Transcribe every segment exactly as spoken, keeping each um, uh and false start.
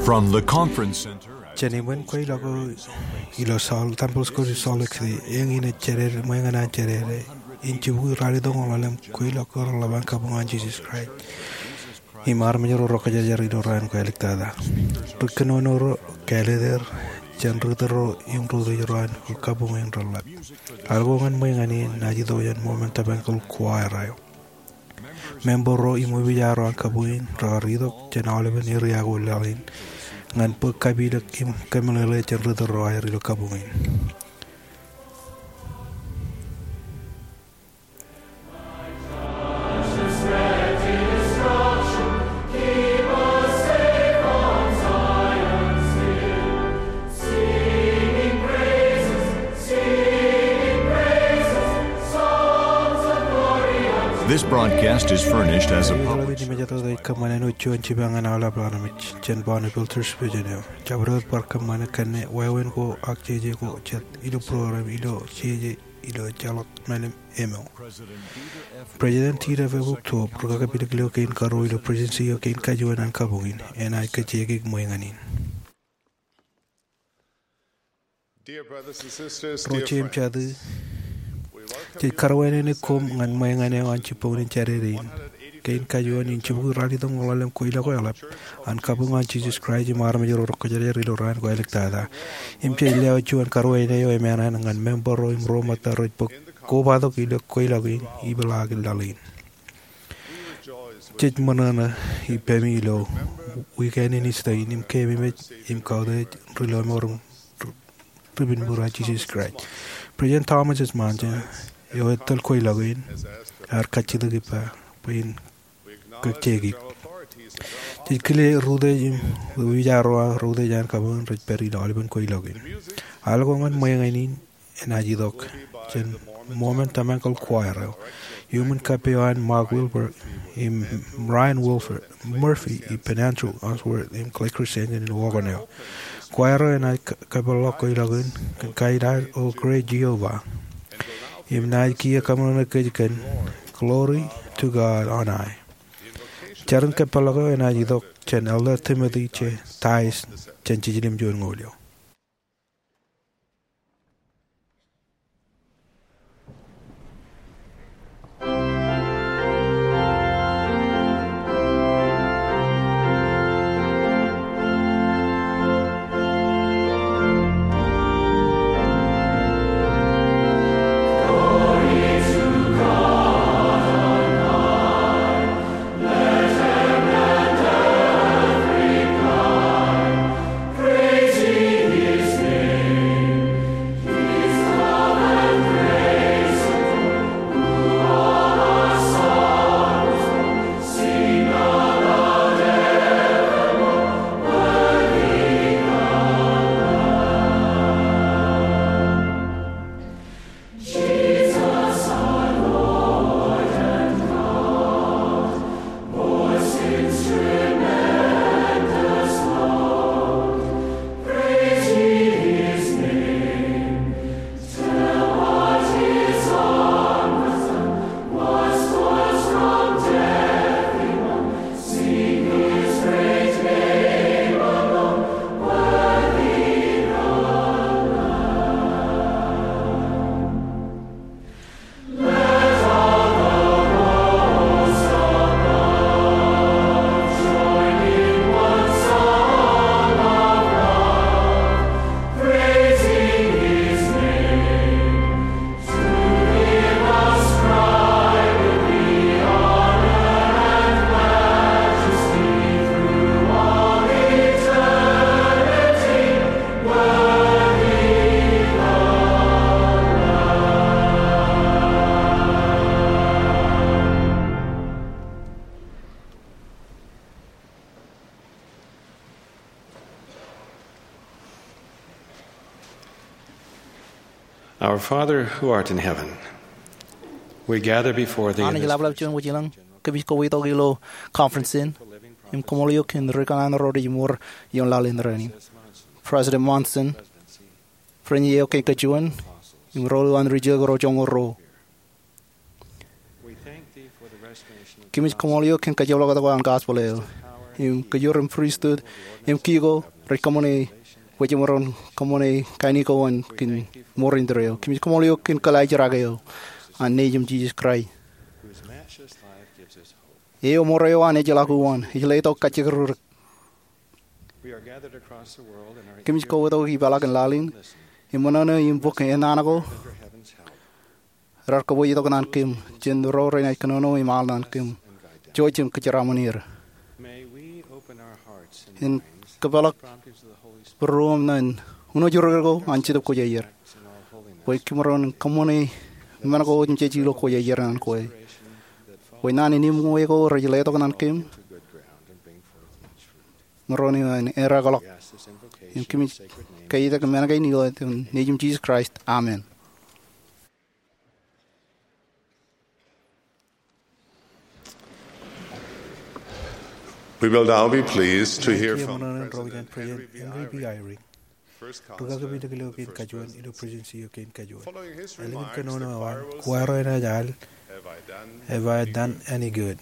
From the conference center at Jān iṃōn kweilọk eo ilo Salt, Temple Square in Salt Lake City, eñin ej jādede, ṃweiñan an jādede in jibukwi ralitōñoul ḷalem kweilọk eo reḷap an kabuñ an Jisōs Kraist im armej ro rekwōjarjar ilo raan ko āliktata. Ri kōnono ro, kāālōt er jān ri tōl ro im ri utiej ro an kabuñ in reḷap. Al ko ñan ṃweiñan in enaaj itok jān Mormon Tabernacle Choir eo. Member ro im wōpijaro an kabuñ in rekar itok jān aolepen eria ko laḷ in ñan bōk kapilōk im kōmeḷeḷe jān ri tōl ro aer ilo kabuñ in. This broadcast is furnished as a public service. Ej kōṃṃan āinwōt juon jipañ ñan aolep armej jān Bonneville Church Vision eo. Jabdewōt bar kōṃṃane kōnne wāween ko ak jeje ko jet ilo program ilo jeje ilo ejjeḷọk men im emo. President Dieter F. Uchtdorf, ri kakapilōk ilo kein karuo ilo Presidency eo kein kajuon an kabuñ in, enaaj kajjioñ ṃweiñan in. Ro jeiū im jatū, jej karuwainene koṃ ñan ṃweiñan eo an jibboñin jādede in. Kein kajuon in jibukwi ralitōñoul ḷalem kweilọk eo eḷap an kabuñ an Jisōs Kraist im armej ro rekwōjarjar ilo raan ko āliktata. Im jej lewōj juon karuwainene eo eṃṃan ñan member ro im ro ṃōtta rej bōk kobatok ilo kweilọk in ipeḷaakin laḷ in. Jej ṃōṇōṇō ippaṃ ilo wiik eo an Easter in im keememej im kautiej ri lọmọọr ri pinbūrā Jisōs Kraist. President Thomas S. Monson, eo ettōl kweilọk in, ear kajjitōk ippa bwe in kajjioñ. Jej kile ri utiej im wōpijaro ro utiej an kabuñ in rej pād ilo aolepen kweilọk in. Al ko ñan ṃweiñan in enaaj itok jān Mormon Tabernacle Choir eo. Iuṃwin kappok eo an Mark Wilbur im Ryan Wilford Murphy ippān Andrew Unsworth im Clay Christensen in organ eo. Choir eo enaaj ka-, kapeḷḷọk kweilọk in kōn kain ad O Great Jehovah. Im naaj kiiō kaṃōṇōṇō kōj kōn Glory to God on High. Jar in kapeḷḷọk eo enaaj itok jān Elder Timothy J. Tice jān Jiljilimjuon Ñoul eo. Our Father who art in heaven, we gather before thee in Anij this ḷapḷap juon wōj ilañ, kōmij kōwōj tok ilo conference in im koṃṃool eok kōn ri kōṇaan ro rej mour ioon laḷ in rainin. President Monson, friend eo kein kajuon, im ro ilo an ri jek ro joñoul ruo. Kōmij koṃṃool eok kōn kajjioñ ḷọk tok an gospel eo. im kōjro im pristut, im kiko rej kōṃṃane, bwe jemaroñ kōṃṃane kain ko an kōn mour indeeo. Kōmij koṃṃool eok kōn kōlaajrak eo an Nejiṃ Jisōs Kraist. Eo mour eo an ejjeḷọk uwaan, ej letok kajjirōk. Kōmij kobatok ipeḷaakin laḷ in, im ṃōṇōṇō im bōk ennaan ko raar kōbōjtok ñan kōm jān ro renaaj kōnono im al ñan kōm, jouj im kōjeraaṃṃan er. En kōpeḷḷọk būruōṃ ñan unooj ro ko an Jetōb Kwōjarjar, bwe kōmaroñ kōṃṃane men ko im jej ilo kwōjarjar ñan kwe, bwe naan in im ñe ko rej letok ñan kōm, maroñ in eddekḷọk. Im kōmij kaitak men kein ilo etan Nejiṃ Jisōs Kraist, amen. We will now be pleased to hear from President Henry B. Eyring. Rūkaki ilo kein kajuon ilo Presidency eo kein kajuon. Ālikin kōnono eo an, kwaar enaaj al, "Have I done any good?"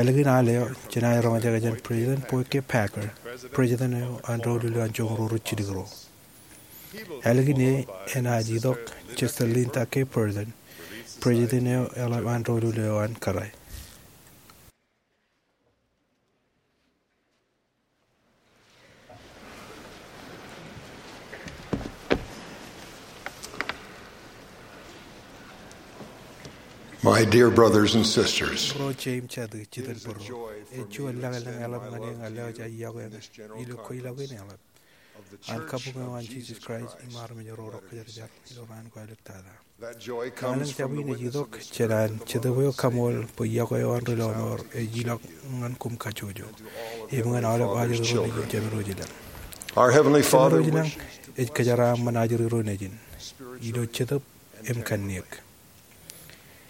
Ālikin al eo, jenaaj roñjake jān President Boyd K. Packer, President eo an doulul eo an Joñoul Ruo ri Jilkinro Ro. Ālikin e, enaaj itok Chester Linda K. Burton, President eo eḷap an doulul eo an Kōrā. My dear brothers and sisters, Ro jeiū im jatū, jitōnbōro, ej juon lañlōñ eḷap ñan eō ñan lewōj aō iọkwe ilo kweilọk in eḷap an kabuñ eo an Jisōs Kraist im armej ro rej kajarjar ilo raan ko āliktata. Lañlōñ jab in ej itok jān an Jetōb eo kaṃool bwe iọkwe eo an ri lọmọọr ej ilọk ñan koṃ kajjojo im ñan aolep ajri ro nejin jemedwōj ilañ. Our Heavenly Father Jemedwōj ilañ ej kōjeraaṃṃan ajri ro nejin ilo jetōb im kanniōk.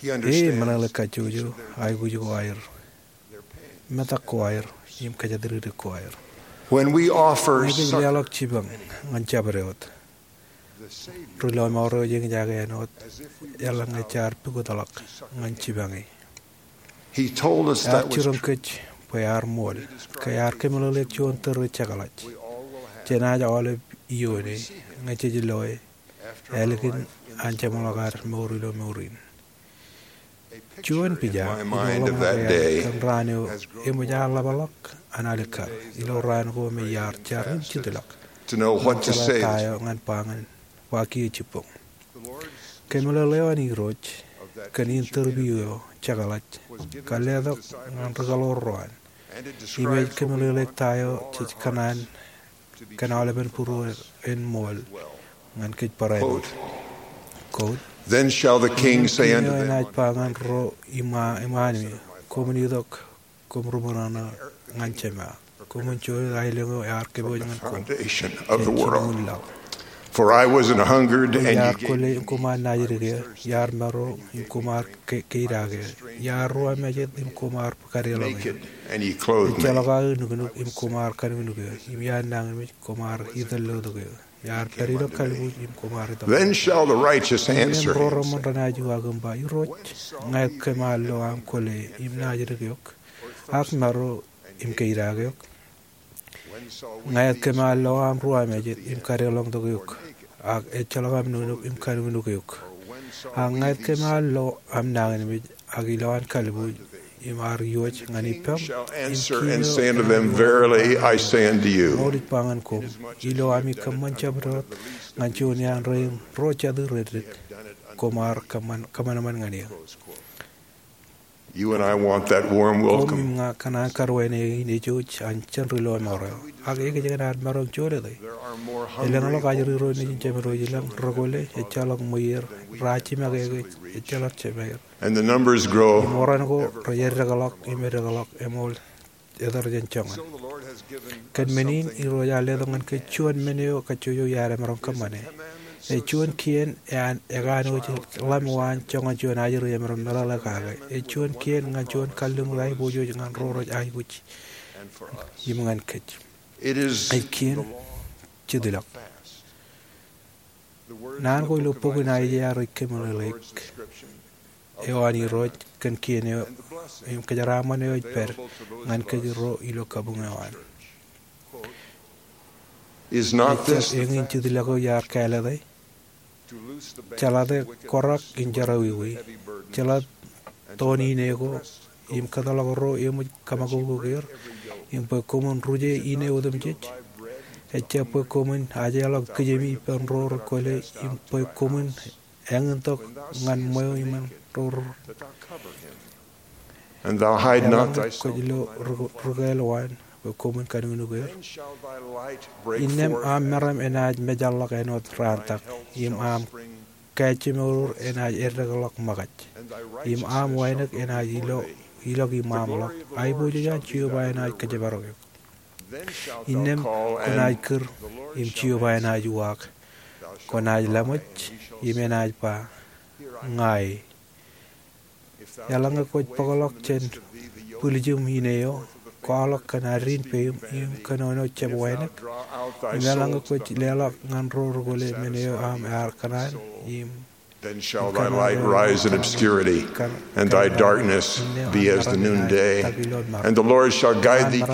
He understands E meḷeḷe kajjojo aikuj ko aer, metak ko aer, im kōjatdikdik ko aer. When we offer Ñe kōj leḷọk jipañ ñan jabdewōt, ri lọmọọr eo ej eñjake āinwōt eḷaññe jaar pukotḷọk ñan jipañ e. He told us Ear that was jiroñ kōj bwe ear ṃool, ke ear kōmeḷeḷeik juon tōre jekḷaj jenaaj aolep ioone ñe jej loe ālikin an jeṃḷọk ad mour ilo mour in. Juon pija in ḷōmṇak eañ kōn raan eo eṃōj aer ḷapḷọk an alikkar ilo raan ko me iar jar im jitḷọk. To know what to say. Jeḷā ta eo ñan ba ñan ba kiiō jibboñ. Kōmeḷeḷe eo an Irooj kōn in tōre piik eo jekḷaj kar letok ñan ri kaḷoor ro an. Im ej kōmeḷeḷeik ta eo jej kōṇaan kōn aolepen būruon ṃool ñan kōj barāinwōt. Quote, Then shall the king say unto them, Enaaj ba ñan ro iṃaan, iṃaan, Koṃwin itok, koṃ ri ṃōṇōṇō ñan Jema. Koṃwin jolōt aelōñ eo ear kōpooj ñan koṃ jān jilñuul laḷ. For I was an hungered, and ye gave me meat. Iar kwōle im koṃ ar naajdik eō, iar maro im koṃ ar ke-, keidake eō, iar ruwamājet im koṃ ar kadeḷọñ eō. Naked, and ye clothed me. Ejjeḷọk aō nuknuk im koṃ ar kanuknuke eō, im iar nañinmej koṃ ar itōllotok eō. Iar pād ilo kalbuuj im koṃ ar itok. Then shall the righteous answer him, saying, Im ro reṃṃan renaaj uwaak im ba, Irooj, ñe kōm ar lo aṃ kwōle im naajdik eok, ak maro im keidake eok? Ñe kōm ar lo aṃ ruwamājet im kadeḷọñtok eok, ak ejjeḷọk aṃ nuknuk im kanuknuk eok? Ak ñe kōm ar lo aṃ nañinmej ak ilowaan kalbuuj im ar iwōj ñan ippaṃ? King shall answer and say unto them, Verily I say unto you, Ṃool ij ba ñan koṃ, ilo ami kōṃṃan jabdewōt ñan juon iaan rein ro jatū reddik, koṃ ar kōṃṃan, kōṃanṃan ñan eō. You and I want that warm welcome. Koṃ im ña kōṇaan karuwainene in ejouj an jān ri lọmọọr eo. Ak ekōjkan ad maroñ jolōte. Elōñḷọk ajri ro nejin jemedwōj ilañ rekwōle, ejjeḷọk ṃweier, raar jimakekōj, ejjeḷọk jemaer. And the numbers grow. Im oran ko rej eddekḷọk im eddekḷọk, eṃool eter jān joñan. Kōn men in, Irooj ear letok ñan kōj juon men eo kajjojo iaar emaroñ kōṃṃane. Ej juon kien ean ekanooj ḷam eo an joñan juon ajri emaroñ meḷeḷe kake. Ej juon kien ñan juon kalliṃur aiboojoj ñan ro rej aikuj im ñan kōj. Ej kien jitḷọk. Naan ko ilo bok in Aiseia rej kōmeḷeḷeik. eo an Irooj kōn kien eo im kōjeraaṃṃan eo ej pād ñan kōj ro ilo kabuñ eo an. Is not this the fact? Jeḷate kōrọk in jerọwiwi. Jeḷate toon ine ko im kōtḷọk ro eṃōj kōṃakūkūt er, im bwe koṃwin ruje ine otemjej. Ejjab bwe koṃwin ajeḷọk kijemi ippān ro rekwōle, im bwe koṃwin eñintok ñan ṃweo iṃaan ro. And thou hide not thyself. Eḷaññe kwōj lo ri-, rikāāl waan, bwe koṃwin kanuknuk er. Then shall thy light break forth. Innām aṃ meram enaaj mejaḷḷọk āinwōt raan tak, im aṃ kaājmour enaaj eddekḷọk ṃōkaj, im aṃ wānōk enaaj ilo, ilọk iṃaaṃḷọk. Aiboojoj an Jeova enaaj kōjparok eok. Innām kwōnaaj kūr, im Jeova enaaj uwaak. Kwōnaaj laṃōj, im enaaj ba, Ña e. Eḷaññe kwōj bōkḷọk jān bwiljiṃ ine eo, kwaḷọk kōn addiin peim im kōnono jab wānōk. Im eḷaññe kwōj leḷọk ñan ro rekwōle men eo aṃ ear kōṇaan im Then shall thy light rise in obscurity, and thy darkness be as the noonday. And the Lord shall guide thee to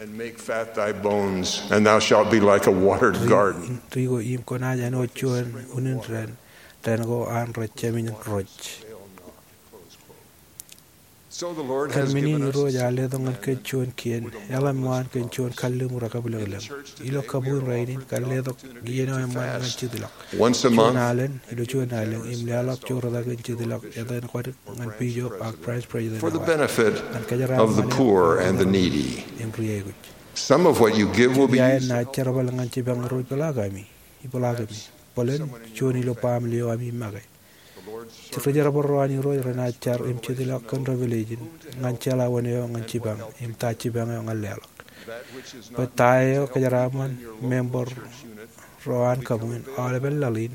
and make fat thy bones, and thou shalt be like a watered garden. Ri ko im kwōnaaj āinwōt juon unin dān, dān ko an rej jāmin rōj. So the Lord has given us. Kōn men in Irooj ear letok ñan kōj juon kien, eḷap ṃaan kōn juon kalliṃur ekabwilōñlōñ. Ilo kabuñ rainin, kar letok iien eo eṃṃan ñan jitḷọk. Once a month. Juon alen, ilo juon alen, im leḷọk joortak in jitḷọk, etan kōn ñan bishop ak branch president. For the benefit of the poor and the needy. Im ri aikuj. Some of what you give will be used. Iien naaj jerbal ñan jipañ ro ipeḷaakami, ipeḷaakami. Bōlen juon ilo baaṃle eo ami make. Ri jerbal ro an Irooj renaaj jar im jitḷọk kōn Revelation ñan jeḷā wōn eo ñan jipañ, im ta jipañ eo ñan leḷọk. Bwe ta eo kōjeraaṃṃan member ro an kabuñ in aolepān laḷ in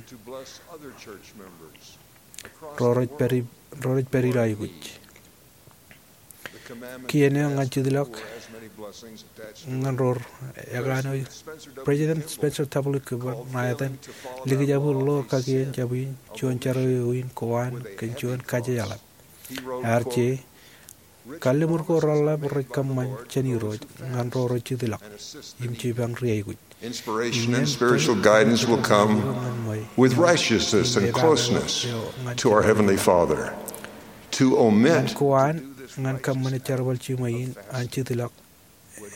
ro rej pād i-, ro rej pād ilo aikuj. Kien eo ñan jitḷọk ñan ro rekanooj. President Spencer W. Kimball ṇa etan likjab in ḷo kakien jab in juon jerọwiwi in kowaan kōn juon kajejeḷap. Ear je, kalliṃur ko reḷḷap rej kōṃṃan jān Irooj ñan ro rej jitḷọk im jipañ ri aikuj. Inspiration and spiritual guidance will come with righteousness and closeness to our Heavenly Father. To omit. Ñan kowaan ñan kōṃṃane jerbal jiṃwe in an jitḷọk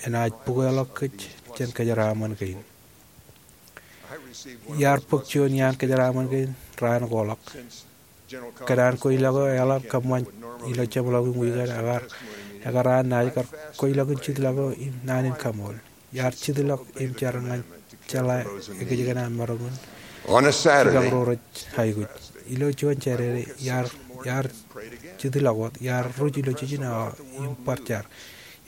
enaaj bukwōḷọk kōj jān kōjeraaṃṃan kein. Iar bōk juon iaan kōjeraaṃṃan kein raan ko ḷọk. Kōn an kweilọk eo eḷap kōṃṃan ilo jeṃḷọkin wiik an, ekar, ekar an naaj kar kweilọkin jitḷọk eo im naan in kaṃool. Iar jitḷọk im jar ñan jeḷā ekōjkan an maroñ in. On a Saturday, jipañ ro rej aikuj. Ilo juon Jādede, iar, iar jitḷọk wōt, iar ruj ilo jiljino awa im bar jar.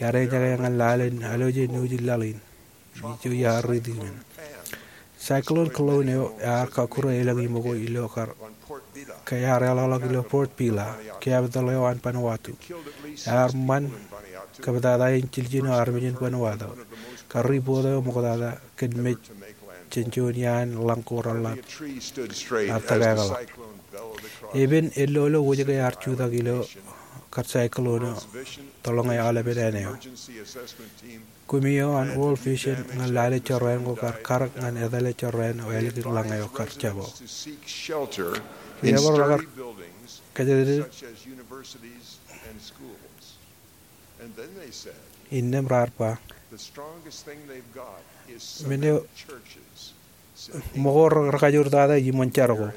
Iar eñjake ñan lale in aloje neujin laḷ in. Ijo iar riiti men. Cyclone Colonel eo ear kakkure elōñ iṃōko ilo kar, ke ear eḷọkḷọk ilo Port Vila, capital eo an Vanuatu. Ear ṃan kōptata in jiljino armej in Vanuatu. Kar ripoot eo ṃoktata kōn mej jān juon iaan lañ ko reḷḷap ear tōkākḷọk. Epen ellolo wōjke ear jutak ilo kar cyclone eo, tōḷñe aolepen āne eo. Kumi eo an World Vision ñan lale jorrāān ko kar karōk ñan etale jorrāān eo ālikin lañ eo kar jab eo. Ri jabdewōt rekar kōjatdikdik. Innām raar ba, men eo ṃōko rekajoortata iṃōn jar ko.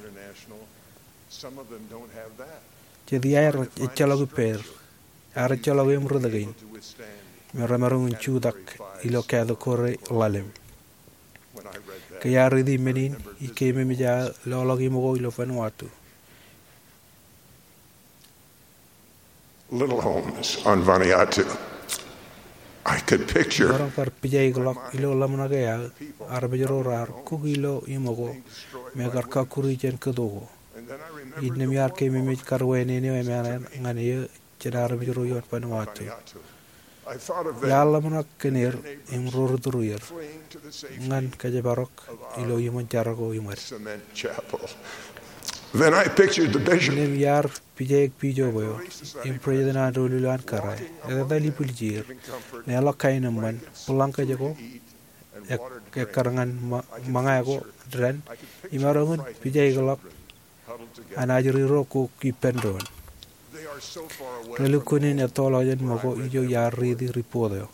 Jet iaer ejjeḷọk ippāer. Ear ejjeḷọk eṃ ritōk in me remaroñ in jutak ilo category ḷalem. Ke iar riiti men in, ikememej aō loḷọk iṃōko ilo Vanuatu. Little homes on Vanuatu. I could picture. Maroñ kar pijaikḷọk ilo ḷōmṇak eo aō, armej ro raar kuk ilo iṃōko me kar kakkuri jān kōto ko. Innām iar kememej kar wāween eo emān ñan eō jān armej ro ioon Vanuatu. Iar ḷōmṇak kōn er im ro ri tūrier ñan kōjparok ilo iṃōn jar ko iṃōd. Then I pictured the bishop. Innām iar pijaik bishop eo im president an doulul an kōrā, etetal ibwiljir, leḷọk kaenōṃṃan, bōlañkōj ko, ekkar ñan ṃōñā ko dān, imaroñ in pijaikḷọk an ajri ro kōk ippān doon. Relukkuun in ettoḷọk jān ṃōko ijo iar riiti report eo.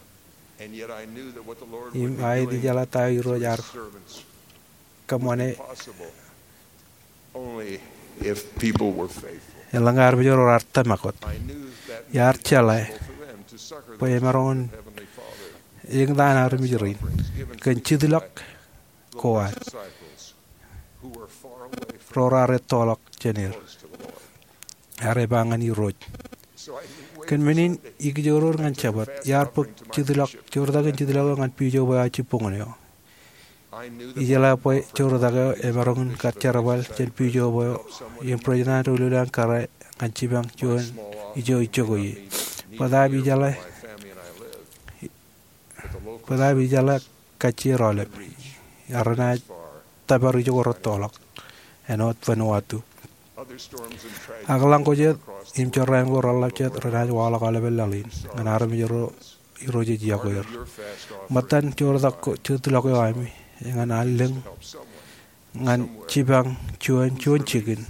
Im aet ijeḷā ta eo Irooj ear kōṃṃane. Eḷaññe armej ro raar tōmak wōt, iar jeḷā bwe emaroñ in eñtaan armej rein kōn jitḷọk ko ad ro raar ettoḷọk jān er, ear ba ñan Irooj. Kōn men in, ikijoroor ñan Jabōt, iar bōk jitḷọk, joortak in jitḷọk eo ñan bishop eo aō jibboñōn eo. Ijeḷā bwe joortak eo emaroñ in kar jerbal jān bishop eo im president an doulul an kōrā ñan jipañ juon ijo ijoko ie. Bōtaab ijeḷā, bōtaab ijeḷā kajjien aolep, ak renaaj tōpar ijoko rettoḷọk āinwōt Vanuatu. Ak lañ ko jet im jorrāān ko reḷḷap jet renaaj waḷọk aolepān laḷ in ñan armej ro Irooj ej yokwe er. Ṃōttan joortak ko, jitḷọk eo ami, eñin an lōñ ñan jipañ juon, juon jikin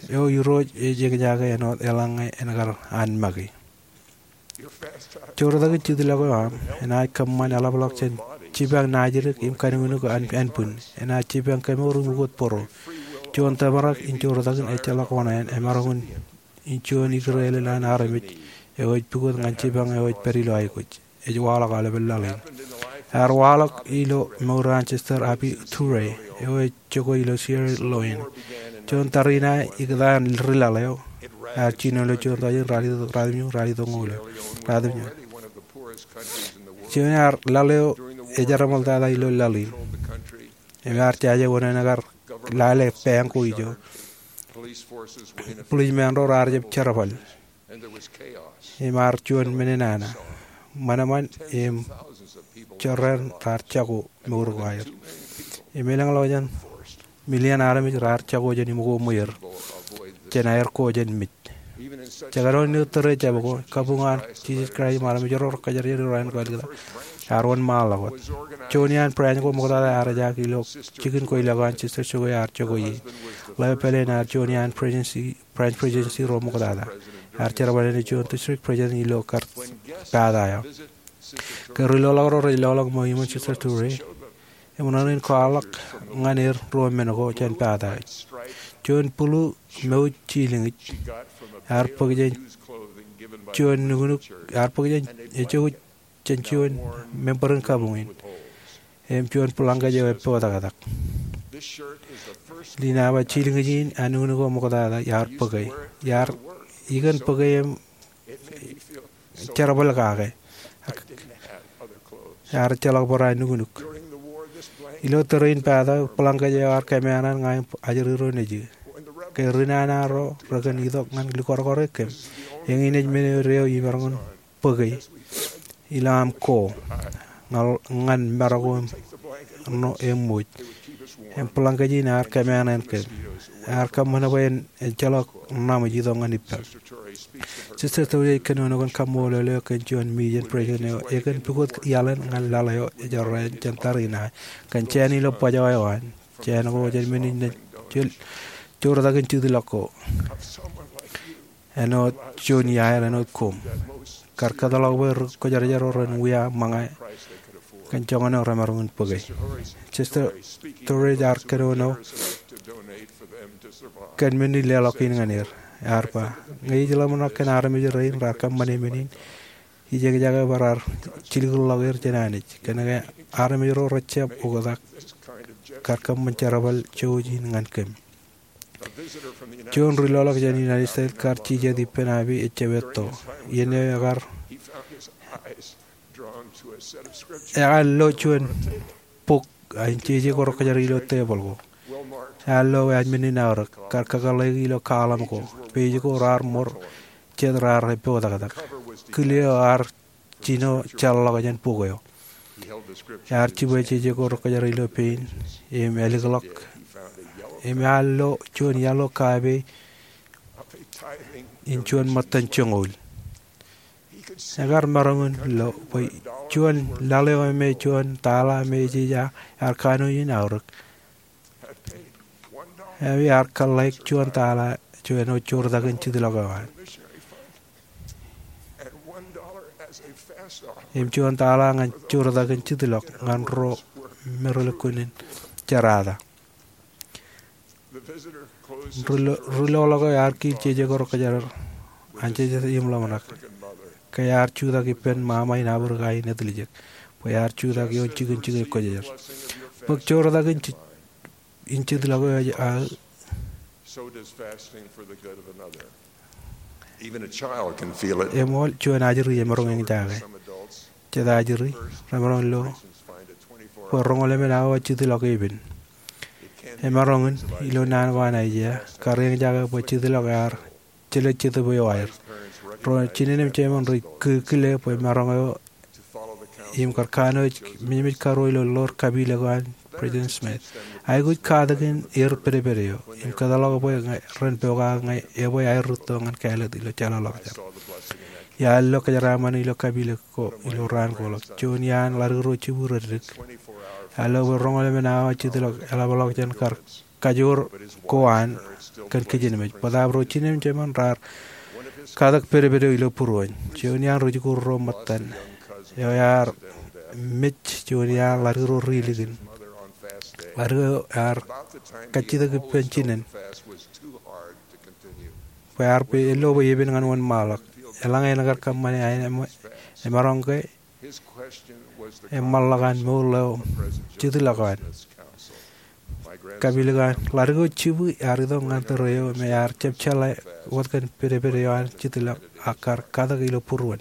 eo Irooj ej eñjake āinwōt eḷaññe en kar an make. Joortak in jitḷọk eo aṃ enaaj kōṃṃan eḷapḷọk jān jipañ naajdik im kanuknuk ānbwin. Enaaj jipañ kemour im ukōt bōro. Juon tōprak in joortak in ejjeḷọk oṇāān, emaroñ in juon ikōrā ālel an armej eo ej pukot ñan jipañ eo ej pād ilo aikuj. Ej waḷọk aolepān laḷ in. Ear waḷọk ilo mour an Sister Abby Toure eo ej jokwe ilo Sierra Leone. Juon tariṇae ikōtaan ri laḷ eo ear jino ilo juon tọujin ralitōñoul, ralitōñoul, ralitōñoul. Juon ear laḷ eo ej eṃṃantata ilo laḷ in. Im ear jaje wōn en kar lale pāāñ ko ijo. Buḷij men ro raar jab jerbal im ear juon men in nana ṃanṃan im jorrāān raar jako mour ko aer. Im elōñḷọk jān million armej raar jako jān iṃōko ṃweer jān aer ko jān mej. Jekdọọn ilo tōre jab ko, kabuñ an Jisōs Kraist im armej ro rekōjparok jān Irooj im Kwōjarjar ear wōnṃaanḷọk wōt. Juon iaan branch ko ṃoktata ear ejaak ilo jikin kweilọk an Sister Toure ear jokwe ie. Ḷeo pālle in ear juon iaan presidency, branch presidency ro ṃoktata. Ear jerbal āne juon district president ilo kar pata eo. Ke ri loḷọk ro rej loḷọk ṃōk iṃōn Sister Toure, eṃōṇōṇō in kwaḷọk ñan er ruo men ko jān pata eo. Juon bulu mouj jilñij ear bōk jān juon nuknuk, ear bōk jān, ejouj jān juon member in kabuñ in. Im juon bōlañkōj eo eppotaktak. Ḷein awa jilñij in an nuknuk eo ṃoktata iar bōke. Iar ikōn bōke im jerbal kake. Ear ejjeḷọk barāinwōt nuknuk. Ilo tōre in pata, bōlañkōj eo ear kōmeañ ña im ajri ro nejū. Ke ri nana ro rekōn itok ñan likūrkūr e kōm, eñin ej men eo imaroñ in bōke ilo aṃ ko ñan, ñan marok ko im ṃōj. Im bōlañkōj in ear kōmeañ kōm. Ear kōṃṃan bwe en ejjeḷọk ṇam ej itok ñan ippaṃ. Sister Toure ej kōnono kōn kaṃṃoolol eo kōn juon mejān president eo ekōn pukot iaḷ in ñan laḷ eo ejorrāān jān tariṇae kōn jāān ilo bajjek eo an jāān ko jān men in naaj joortak in jitḷọk ko. Āinwōt juon iaer āinwōt koṃ. Kar kōtḷọk bwe ri kwōjarjar ro ren wia ṃōñā kōn joñan eo remaroñ in bōke. Sister Toure ear kōnono kōn men in leḷọk in ñan er. Ear ba, ñe ij ḷōmṇak kōn armej rein raar kōṃṃane men in, ij eñjake bwe raar jilkinḷọk er jān Anij. Kōnke armej ro rejjab oktak kar kōṃṃan jerbal jouj in ñan kōm. Juon ri loḷọk jān United States kar jijet ippān Abby ejjab etto. Iien eo ekar, ekar lo juon bok, ak jeje ko rekōjparok ilo tebōḷ ko. Ear lo wōt men in aorōk, kar kakōḷḷeiki ilo column ko. Page ko raar ṃor jet raar eppotaktak. kile eo ear jino jeḷḷọk jān bok eo. Ear jibwe jeje ko rūkōjjar ilo pein im elikḷọk im ear lo juon yellow kāpei in juon ṃōttan joñoul. Ekar maroñ in lo bwe juon laḷ eo me juon tala me ej ej ear kanooj in aorōk, ear kōḷḷāik juon tala juon eo joortak in jitḷọk eo an im juon tala ñan joortak in jitḷọk ñan ro me relukkuun in jerata. Ri-, ri-, loḷọk eo ear kiil jeje ko rūkōjjar anjejjet im ḷōmṇak ke ear jutak ippān ṃaṃa in Africa in etiljek bwe ear jutak ioon jikin jikin kwōjarjar. Bōk joortak in ji-, in jitḷọk eo aō. Eṃool, juon ajri emaroñ eñjake. Jet ajri remaroñ lo bwe roñoul emān awa jitḷọk epen. Emaroñ in ilo naan ko an Aiseia kar eñjake bwe jitḷọk ear jelōt jetōb eo aer. Ro jinen im jemān rej kile bwe maroñ eo im kar kanooj mejmej karuo ilo ḷoor kapilōk eo an President Smith. Aikuj katakin er pedped eo im kōtḷọk bwe ñe ren pokake ñe ebwe aer rūtto ñan kāālōt ilo jeḷāḷọkjeṇ. Iar lo kōjeraaṃṃan ilo kapilōk ko ilo raan ko ḷọk. Juon iaan ḷaddik ro jibwi reddik ear lo bwe roñoul emān awa jitḷọk eḷapḷọk jān kar kajoor ko an kōn kijenmej. Bōtaab ro jinen im jemān raar katak pedped eo ilo būruon. Juon iaan rijikuuḷ ro ṃōttan eo ear mej juon iaan ḷaddik ro ri likin. Ḷaddik eo ear kajjitōk ippān jinen bwe ear pād ilo bwe epen ñan wōnṃaanḷọk. Eḷaññe en kar kōṃṃane aer, emaroñ ke eṃṃanḷọk an mour eo jitḷọk eo an. Kapilōk an ḷaddik eo jibwi ear itok ñan tōre eo me ear jab jeḷā wōt kōn pedped eo an jitḷọk ak kar katak ilo būruon.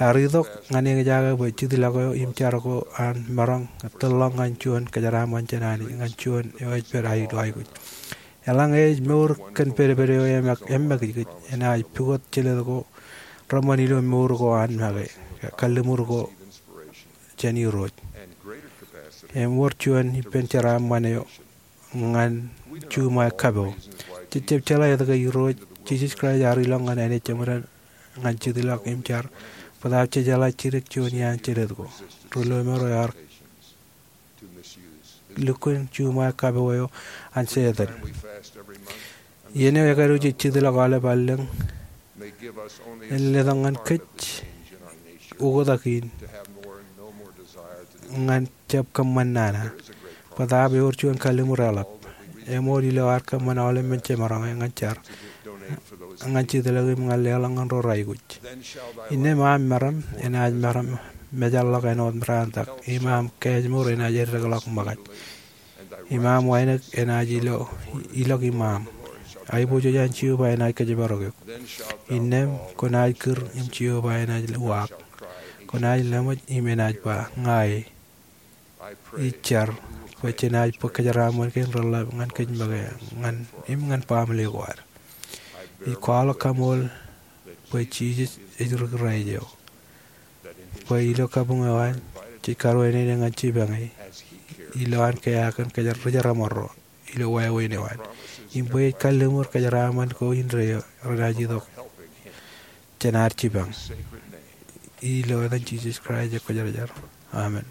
Ear itok ñan eñjake bwe jitḷọk eo im jar ko an maroñ tōl ḷọk ñan juon kōjeraaṃṃan jān Anij ñan juon eo ej pād ilo aikuj. Eḷaññe ej mour kōn pedped eo eṃōkaj, enaaj pukot jelōt ko reṃṃan ilo mour ko an make, kalliṃur ko jān Irooj. Im wōr juon ippān jeraaṃṃan eo ñan juṃae kapo. Jej jab jeḷā etke Irooj Jisōs Kraist ear ilọk ñan āne jeṃōd ñan jitḷọk im jar, bōtaab jejeḷā jidik juon iaan jelōt ko. Ri lọmọọr eo ear lukkuun juṃae kapo eo an Setan. Iien eo ekaduuj jej jitḷọk aolep allōñ, en letok ñan kōj oktak in ñan jab kōṃṃan nana. Bōtaab ewōr juon kalliṃur eḷap. Eṃool ilo ad kōṃṃan aolep men jemaroñ ñan jar, ñan jitḷọk im ñan leḷọk ñan ro raikuj. Innām aṃ meram enaaj meram mejaḷḷọk āinwōt meraantak, im aṃ kaājmour enaaj eddekḷọk ṃōkaj. Im aṃ wānōk enaaj ilo, ilọk iṃaaṃ. Aiboojoj an Jeova enaaj kōjparok eok. Innām kwōnaaj kūr im Jeova enaaj uwaak. Kwōnaaj leṃōj im enaaj ba, Ña e. Ij jar bwe jenaaj bōk kōjeraaṃṃan kein reḷḷap ñan kōj make, ñan, im ñan baaṃle ko ad. Ij kwaḷọk kaṃool bwe Jisōs ej ri Kraist eo, bwe ilo kabuñ eo an jej karuwainene ñan jipañ e ilo an keaak kōn kōj ri jeramṃarro ilo wāween eo an. Im bwe ej kalliṃur kōjeraaṃṃan ko indeeo renaaj itok jān ad jipañ. Ilo etan Jisōs Kraist eo Kwōjarjar. Amen.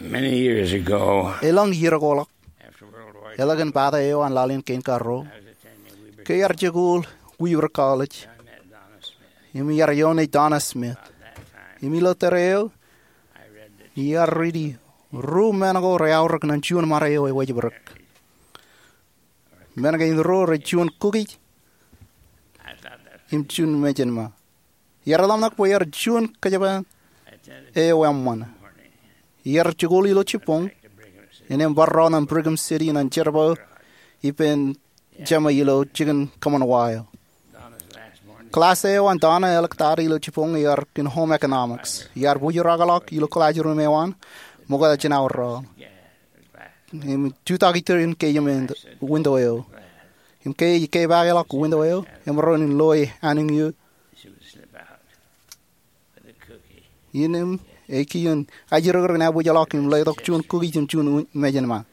Many years ago, elōñ iiō ko ḷọk, after World War, eḷap kōn bata eo an laḷ in kein karuo, I was attending Weber, ke iar jikuuḷ Weber College, I met Donna Smith. Im iar ioon e Donna Smith. About that time, im ilo tōre eo, I read the, iar riiti ruo men ko reaorōk ñan juon ṃare eo ewōj bōrōk. Men kein ruo rej juon kukij, I thought that, im juon mejānma. Iar ḷōmṇak bwe iar juon kōjparok eo eṃṃan. Iar jikuuḷ ilo jibboñ, innem bar ro ñan Brigham City ñan jerbal ippān jema ilo jikin kōṃṃan wa eo. Klass eo an Donna eḷak tata ilo jibboñ ear kōn home economics. Iar bōjrak ḷọk ilo classroom eo an, ṃokta jān aor raṇ. Im jutak iturūṃ ke iien window eo. Im ke ej kepaake ḷọk window eo, emaroñ in loe anōk eo. Innem ej kien ajjirōkrōk ñan bōjrak im letok juon kukij im juon mejānma.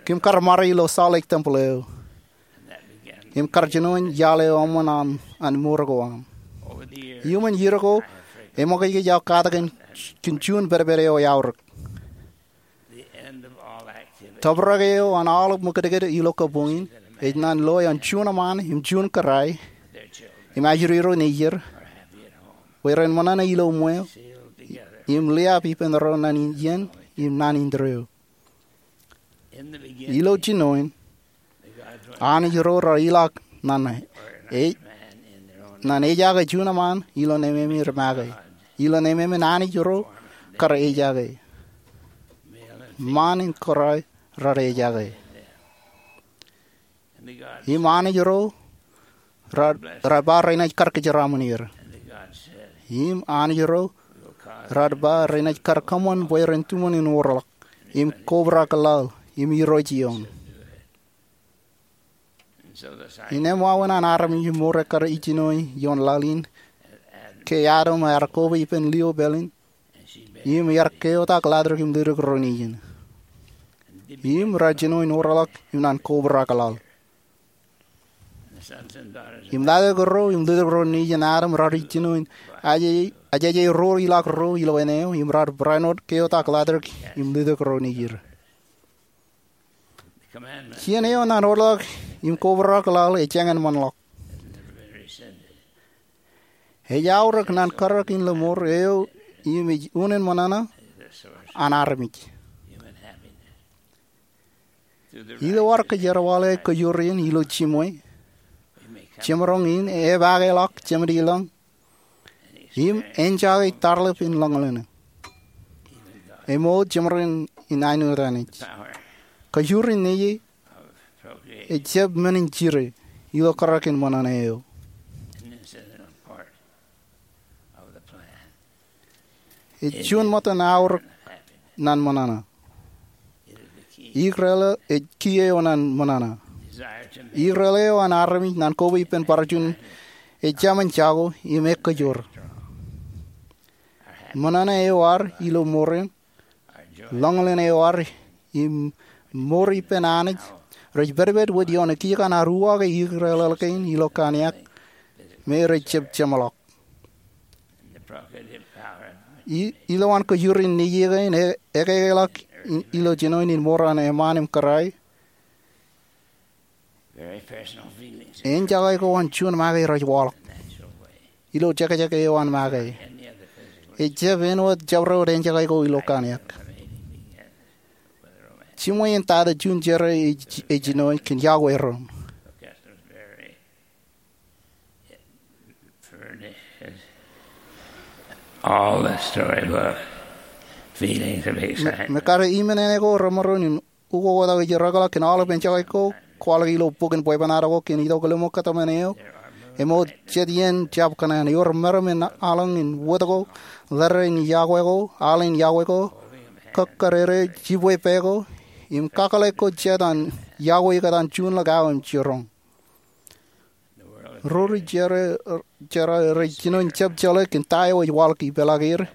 Kōm kar ṃare ilo Salt Lake Temple eo. Im kar jinoin iaḷ eo eṃṃan an, an mour ko aṃ. Iuṃwin iiō ko, eṃōkajkōj aō katak kōn juon pedped eo eaorōk. Tōprak eo an aolep ṃōkajkōj ilo kōbbuñ in, ej ñan loe an juon eṃṃaan im juon kōrā, im ajri ro nejier, bwe ren ṃōṇōṇō ilo ṃweo, im liab ippān ro naan in iien, im naan in tōre eo. Ilo jinoin, anij ro raar ilọk ñan e-, ñan ejaake juon eṃṃaan ilo ememej make. Ilo ememej anij ro kar ejaake. Eṃṃaan im kōrā raar ejaake. Im anij ro raar, raar ba renaaj kar kōjeraaṃṃan er. Im anij ro raar ba renaaj kar kōṃṃan bwe ren tuṃṃan in wōr ḷọk, im kobrak laḷ, im irooj ioon. Innem wāween an armej im mour ekkar ej jino ioon laḷ in, ke Adam ear koba ippān lio pāleen, im ear keotak ḷaddik im ledik ro nejin. Im raar jino in wōr ḷọk im ñan kobrak laḷ. Im ḷaddik ro im ledik ro nejin Adam raar jino in aje-, ajeje ro ilọk ro ilo āne eo, im raar barāinwōt keotak ḷaddik im ledik ro nejid. Kien eo ñan wōr ḷọk im kobrak laḷ ej jañin ṃōṇ ḷọk. Ej aorōk ñan karōk in ḷōṃor eo im ej unin ṃōṇōṇō an armej. Ilo ad kōjerbale kōjwōr in ilo jiṃwe, jemaroñ in epaake ḷọk Jemān ilọñ im enjake tarḷap in ḷōñḷōñ, emoot jemaroñ in āinwōt Anij. Kōjwōr in Nejiej ejjab men in jire ilo karōk in ṃōṇōṇō eo. Ej juon ṃōttan aorōk ñan ṃōṇōṇō. Ikōrā eo ej key eo ñan ṃōṇōṇō. Ikōrā eo an armej ñan koba ippān bar juon ejāmin jako im ekkōjwōr. Ṃōṇōṇō eo ad ilo mour in, ḷōñḷōñ eo ad im mour ippān Anij, rej pedped wōt ioon ekijkan ad uwaake ikōrā eo kein ilo kōn eok, me rej jab jeṃḷọk. I-, ilowaan kōjwōr in Nejiej kein e-, ekāālọk i-, ilo jinoin in mour an eṃṃaan im kōrā, enjake ko an juon make rej waḷọk ilo jekjek eo an make. Ejjab āinwōt jabdewōt enjake ko ilo kōn eok. Jiṃwe in tata juon jerā ej, ej jino kōn yokwe ro. All the storybook feelings of excitement. Me, me kar iṃōn āne ko remaroñ in ukoktak ijirōkḷọk kōn aolep enjake ko kwaḷọk ilo bokin bwebwenato ko kōn itok lemñoul kōtmān eo. Emoot jet iien jab kōṇaan ewōr meram in aḷañ in wōt ko, letter in yokwe ko, aḷ in yokwe ko, kōkkerere jibwe pā ko, im kakōḷḷe ko jet an yokwe ikōtaan juon ḷọk aō im jiroñ. Ro ri jerā, jerā rej jino in jab jeḷā kōn ta eo ej waḷọk ipeḷaakier,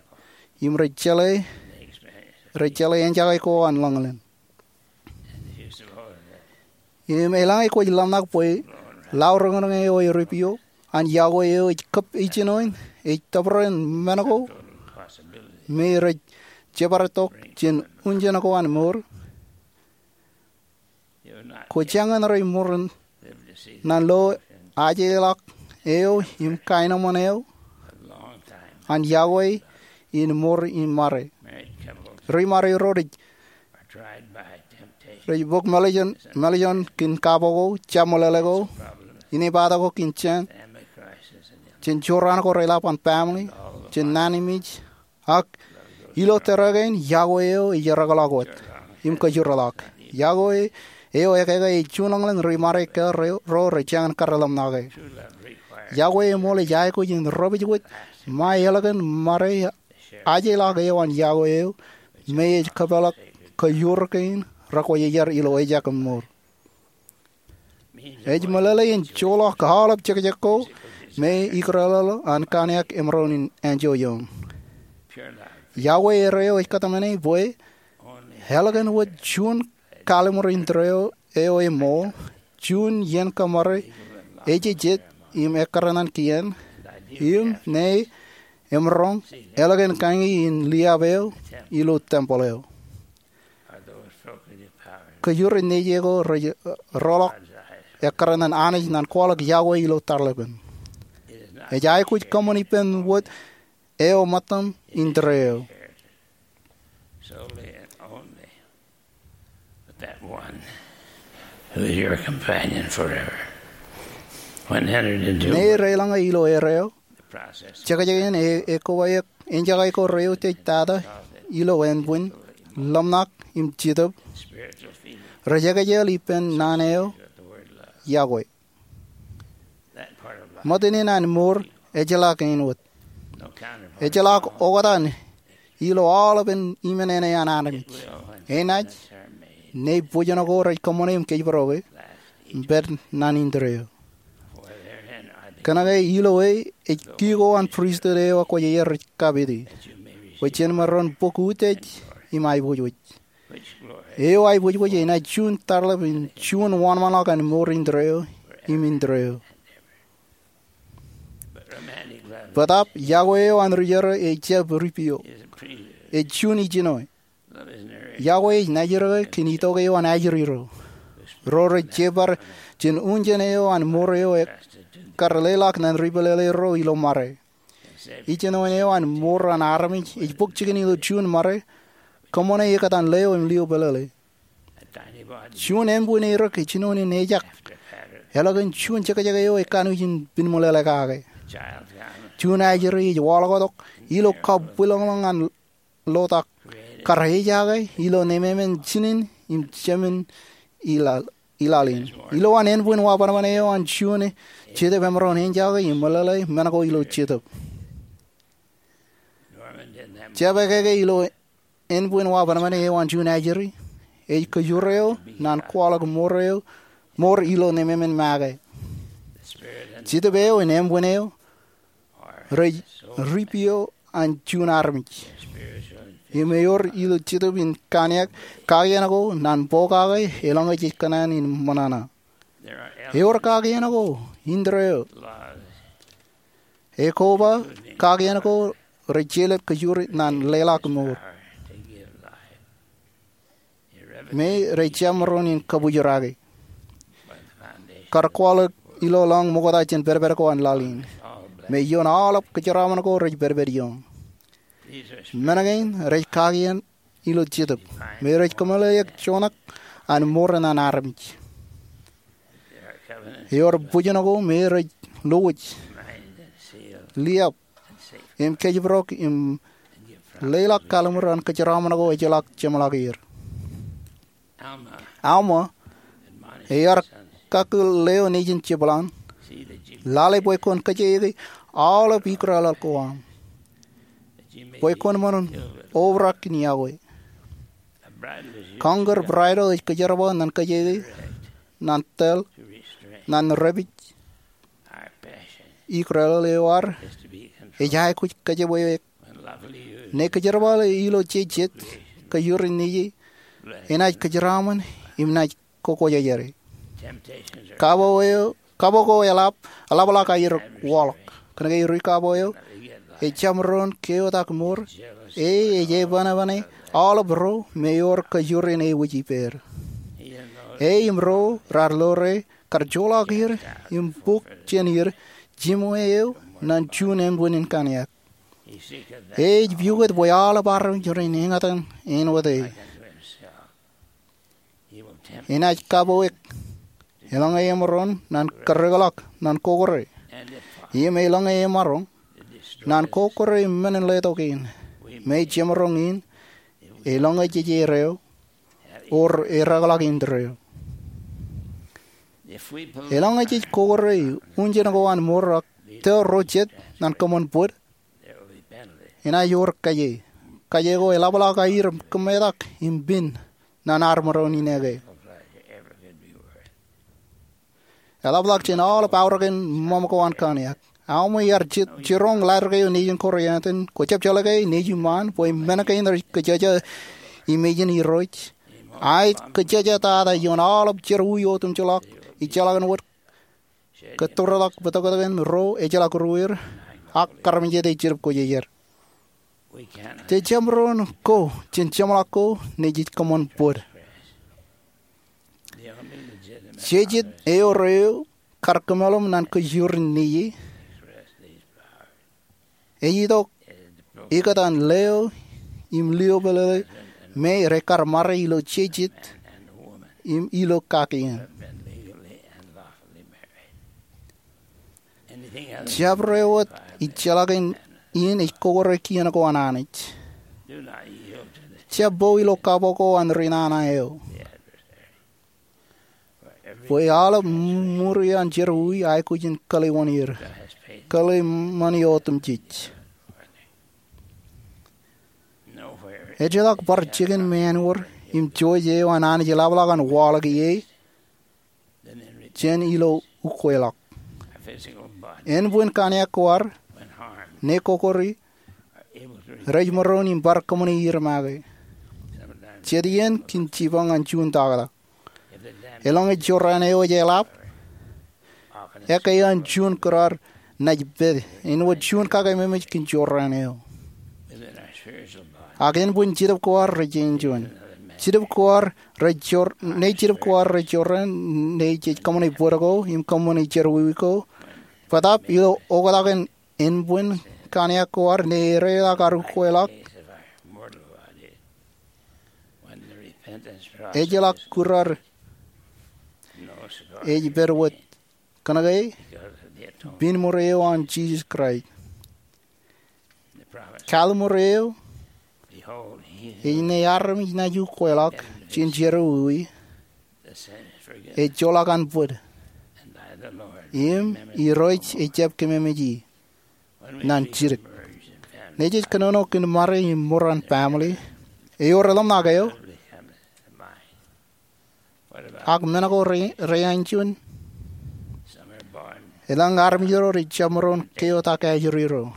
im rej jeḷā, rej jeḷā enjake ko an ḷōñḷōñ. Im eḷaññe kwōj ḷōmṇak bwe laorōñrōñ eo eripio an yokwe eo ej kab ej jino in, ej tōprak men ko me rej jebwār tok jān unjen ko an mour, kwō jañin rej ṃōrōṃ naan lo ajeḷọk eo im kaenōṃṃan eo an Yahweh in mour im ṃare. Ri ṃare ro rej bōk mālejān, mālejān kōn kapo ko, jab meḷeḷe ko, inepata ko kōn jān, jān jorrāān ko reḷap an family, jān naan im ij, ak ilo tōre kein, Yahweh eo ej ereakḷọk wōt im kōjūrḷọk. Yahweh eo ekeke ej juon ḷōñḷōñ ri ṃare ke ro rej jañin kōrā ḷōmṇake. Yahweh eṃool ej aikuj in ropij wōj ṃae eḷọkin ṃare ajeḷọk eo an Yahweh eo me ej kōpeḷḷọk kōjur kein rekwōjarjar ilo ejak im mour. Ej meḷeḷe in joḷọk aolep jekjek ko me ikōrọọl an kaniak emaroñ in anjọ ioon. Yahweh erreo ej kōtmāne bwe eḷọkin wōt juon kalliṃur indeeo eo eṃool, juon iien kōṃṃare ejejjet im ekkar ñan kien, im ṇe emaroñ eḷọkin kañi in liab eo ilo tempel eo. Kōjur in nejier ko rej roḷọk ekkar ñan Anij ñan kwaḷọk Yahweh ilo tarlepen. Ej aikuj kōṃṃan ippān wōt eo ṃōttan indeeo. Solely and only with that one who is your companion forever. When entered into ṇe rej ḷōñe ilo erreo, the process, jekjek in e, ekowaik, enjake ko rej utiej tata ilo ānbwin, ḷōmṇak im jetōb, spiritual feeling, rej ekjel ippān naan eo, of the word love. Yahweh. Ṃōttan in an mour ejjeḷọk āinwōt. Ejjeḷọk oktak ilo aolepen imenene an armej. Enaaj, ṇe bōjjān ko rej kōṃṃane im kōjparoke, pād naan indeeo. Kōnke ilo e ej ki ko an pristut eo ekwōjarjar rej kapiti, bwe jen maroñ bōk utiej im aiboojoj. Eo aiboojoj enaaj juon tarlep im juon wōnṃaanḷọk an mour indeeo im indeeo. Bōtaab Yahweh eo an ri jerā ej jab ripio. Ej juon ijin eo. Yahweh ej naajrōke kōn itok eo an ajri ro, ro rej jebbar jān unjen eo an mour eo ekkar leḷọk ñan ri pālele ro ilo ṃare. Ijin eo an mour an armej ej bōk jikin ilo juon ṃare, kōṃṃane ekōtaan leo im lio pālele. Juon ānbwin erik ej jinoin in ejak eḷọkin juon jekjek eo ekanooj in pinmeḷeḷe kake. Juon ajri ej waḷọktok ilo kabwilōñlōñ an lotak, kar ejake ilo nemāmen jinen im jemān ilaḷ, ilaḷ in. Ilowaan ānbwin wabōnbōn eo an juon jetōb emaroñ enjake im meḷeḷe men ko ilo jetōb. Jab ekeke ilo ānbwin wabōnbōn eo an juon ajri, ej kōjur eo ñan kwaḷọk mour eo, mour ilo nemāmen make. Jetōb eo im ānbwin eo rej ripio an juon armej. Im ewōr ilo jetōb in kaniak kakien ko ñan pokake eḷaññe jej kōṇaan in ṃōṇōṇō. Ewōr kakien ko, indeeo, ekoba kakien ko rej jelōt kōjur ñan leḷọk mour, me rej jab maroñ in kabwilōñlōñ. Kar kwaḷọk ilo ḷọk ṃokta jān pedped ko an laḷ in, me ioon aolep kōjeraaṃṃan ko rej pedped ioon. Men kein rej kakien ilo jetōb, me rej kōmeḷeḷeik juon ṇe an mour an armej. Ewōr bōjjān ko me rej lowōj, liab, im kōjparok im leḷọk kalliṃur an kōjeraaṃṃan ko ejjeḷọk jeṃḷọk er. Alma ear kakkōl leo nejin jepḷaak, lale bwe kwōn kōjeiōk aolep ikōrọọl ko aṃ, bwe kwōn ṃōṇōṇō obrak in Yahweh. Kọñkar bridle ej kōjerbal ñan kōjeiōk, ñan tōl, ñan repij ikōrọọl eo ad, ej aikuj kōjepwe ṇe kōjerbale ilo jejet kōjur in nejū, enaaj kōjeraaṃṃan im naaj kokwōjarjar. Kapo eo, kapo ko eḷap, eḷapḷọk aer waḷọk. Kōnke ri kapo eo ejjab maroñ keotak mour, e ej epanepane aolep ro me ewōr kōjro in ewōj ippāer. E im ro raar lore kar joḷọk er im bōk jān er jiṃwe eo ñan juon ānbwin in kaniak. E ej pukot bwe aolep armej ren eñtaan āinwōt e. Enaaj kapo eō eḷaññe emaroñ ñan kōrreḷọk ñan kokore. Im eḷaññe emaroñ ñan kokore men in letok in, me jemaroñ in eḷaññe jej erreo or ereḷọk indeeo. Eḷaññe jej kokore unjen ko an mour ak tōl ro jet ñan kōṃṃan bōd, enaaj wōr kaje. Kaje ko eḷapḷọk aer kōmetak im pen ñan armej in eke. Eḷapḷọk jān aolep aorōkin ṃōṃ ko an kōniak. Aṃ iar jiroñ letter kein nejin Korianth, kwō jab jeḷā ke nejin ṃaan bwe men kein rej kōjjeje im ejin Irooj, a ej kōjjeje tata ioon aolep jerọwiwi otemjeḷọk ejjeḷọk in wōt kōttoḷọk bōtōktōkin ro ejjeḷọk ruer ak armej jet ej jilip kōjjejer. Jej jab maroñ ko jān jeṃḷọk ko ñe jej kōṃṃan bōd. Jejjet eo rej kar kōmeḷeḷe ñan kōjro in nejier ej itok ikōtaan leo im lio pālele me rej kar ṃare ilo jejjet im ilo kakien. Jabdewōt ejjeḷọk in ej kokore kien ko an Anij. Jab po ilo kapo ko an ri nana eo. Bwe aolep ṃuri an jerọwiwi aikuj in kōḷewanir, kōḷe ṃani otemjej. Ejjeḷọk bar jikin ṃaanwōd im jouj eo an Anij eḷapḷọk an waḷọk ie jān ilo ukweḷọk. Ānbwin kaniak ko ad, ñe kokori, rej maroñ im bar kōṃṃani er make. Jet iien kōn jipañ an juon taktō. Eḷaññe jorrāān eo ej eḷap, ekkā an juon kōrā naaj pād āinwōt juon kakememej kōn jorrāān eo. Ak ānbwin jetōb ko ad rej enjoy. Jetōb ko ad rej jor, ñe jetōb ko ad rej jorrāān ñe jej kōṃṃane bōd ko im kōṃṃane jerọwiwi ko, bōtaab ilo oktak in ānbwin kaniak ko ad ñe ereḷọk ad ukweḷọk, ejjeḷọk kūr ad ej pād wōt kōnke pen ṃure eo an Jisōs Kraist. Kallim̧ur eo ej ñe armej naaj ukweḷọk jān jerọwiwi, ejjeḷọk an bōd, im Irooj ejjab kememej e ñan jidik. Ñe jej kōnono kōn ṃare im mour an family, ewōr ḷōmṇak eo, ak men ko rej, rej enjoy. Elōñ armej ro rej jab maroñ keotak ajri ro.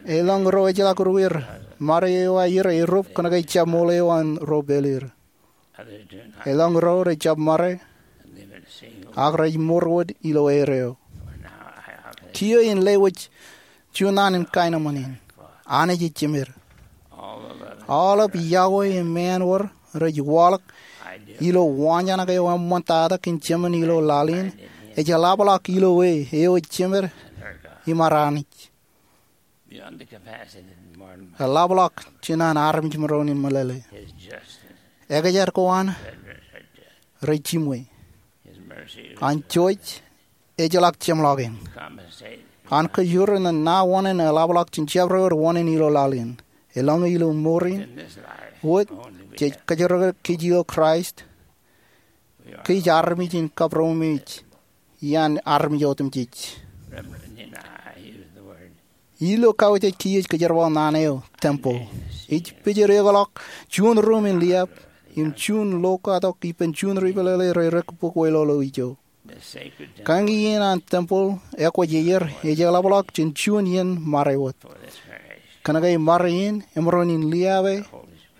Elōñ ro ejjeḷọk ruer, ṃare eo aer erup kōnke jab ṃool eo an ro pālir. Elōñ ro rej jab ṃare, ak rej mour wōt ilo erreo. Kiiō in lewōj juon naan in kaenōṃṃan in. Anij ej jemed. Aolep yokwe im ṃaanwōd rej waḷọk ilo waanjoñak eo eṃṃantata kōn jemān ilo laḷ in, ej eḷapḷọk ilo e eo ej jemed im ad Anij. Eḷapḷọk jān an armej maroñ in meḷeḷe. Ekōjdat ko an rej jiṃwe. An jouj ejjeḷọk jeṃḷọkin. An kōjro ñan ṇa oṇān eḷapḷọk jān jabdewōt oṇān ilo laḷ in. Eḷaññe ilo mour in wōt jej kōjro kōj ilo Kraist, kōj armej in kapromemej iaan armej otemjej. Ilo kauj ej kiiō ej kōjerbal naan eo temple. Ej pejed ekḷọk juon ruuṃ in liab im juon lo katok ippān juon ri pālele rej rikbōk weḷọk ijo. Kañin an temple ekwōj ier ej eḷapḷọk jān juon iien ṃare wōt. Kōnke ṃare in emaroñ in liabe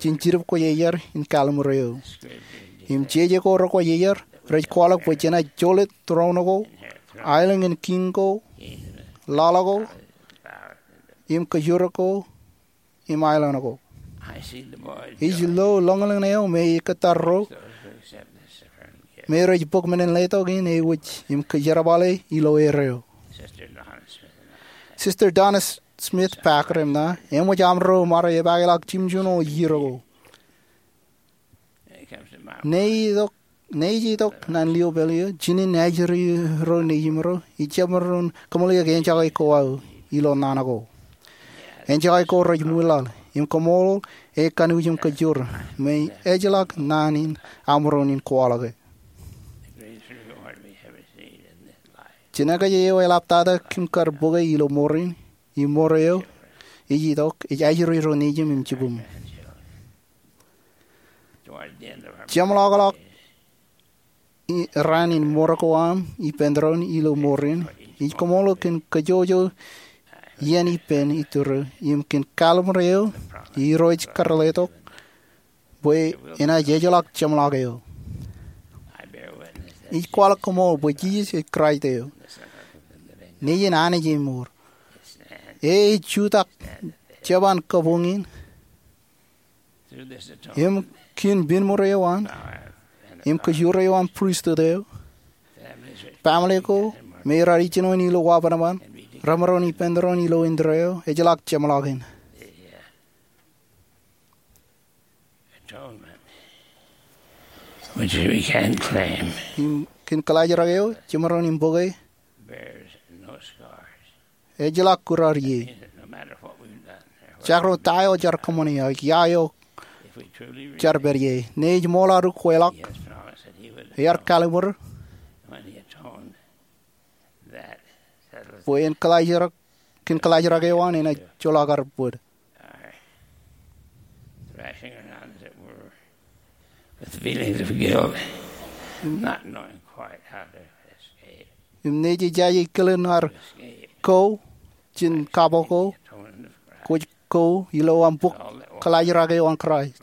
jān Jetōb Kwōjarjar in Kalliṃur eo. Im jeje ko rekwōj ier rej kwaḷọk bwe jenaaj jolōt tūroon ko aelōñ in kiiñ ko, laḷ ko, im kōjro ko, im aelōñ ko. Ij lo lōñlōñ eo me ej kōttar ro me rej bōk men in letok in ewōj im kōjerbale ilo erreo. Sister Donna Smith Packer eṇ ṇa eṃōj amro ṃare epaakḷọk jimjuon eo iiō ko. Ṇe ij itok, ṇe ij itok ñan liōpel eo, jinen ajri ro nejiṃ ro, ij jab maroñ kōmālōtlōt enjake ko aō ilo naan ko. Enjake ko rej ṃwilaḷ im koṃṃool e kanooj im kōjro me ejjeḷọk naan in aṃ maroñ in kwaḷọke. Jinōkaj eo eḷaptata kōm kar bōke ilo mour in, im mour eo ij itok ej ajri ro nejiṃ im jibwiṃ. Jeṃḷọkḷọk raan in mour ko aṃ ippān doon ilo mour in, ij koṃṃool kōn kōjwōjwō iien ippān iturū im kōn kalimur eo Irooj kar letok bwe enaaj ejjeḷọk jeṃḷọk eo. Ij kwaḷọk koṃṃool bwe Jisōs ej Kraist eo, Nejiṃ Anij eo eṃour. E ej jutak jeban kabuñ in im kien binmur eo an im kōjwōj eo an pristut eo, family ko me raar ijinoin ilo wabanban remaroñ ippān doon ilo indeeo ejjeḷọk jeṃḷọkin. Im kien kaḷajrak eo jemaroñ in bōke ejjeḷọk kūrār ie. Jekdọọn ta eo jaar kōṃṃane, ia eo jaar pād ie, ṇe ej ṃool ad ukweḷọk, ear kalimur bwe en kaḷajrak, kien kaḷajrak eo an enaaj joḷọk ad bōd. Im ṇe jej jaje kilen ad ko jān kabuñ ko, kwōj ko ilo aṃ bōk kaḷajrak eo an Kraist.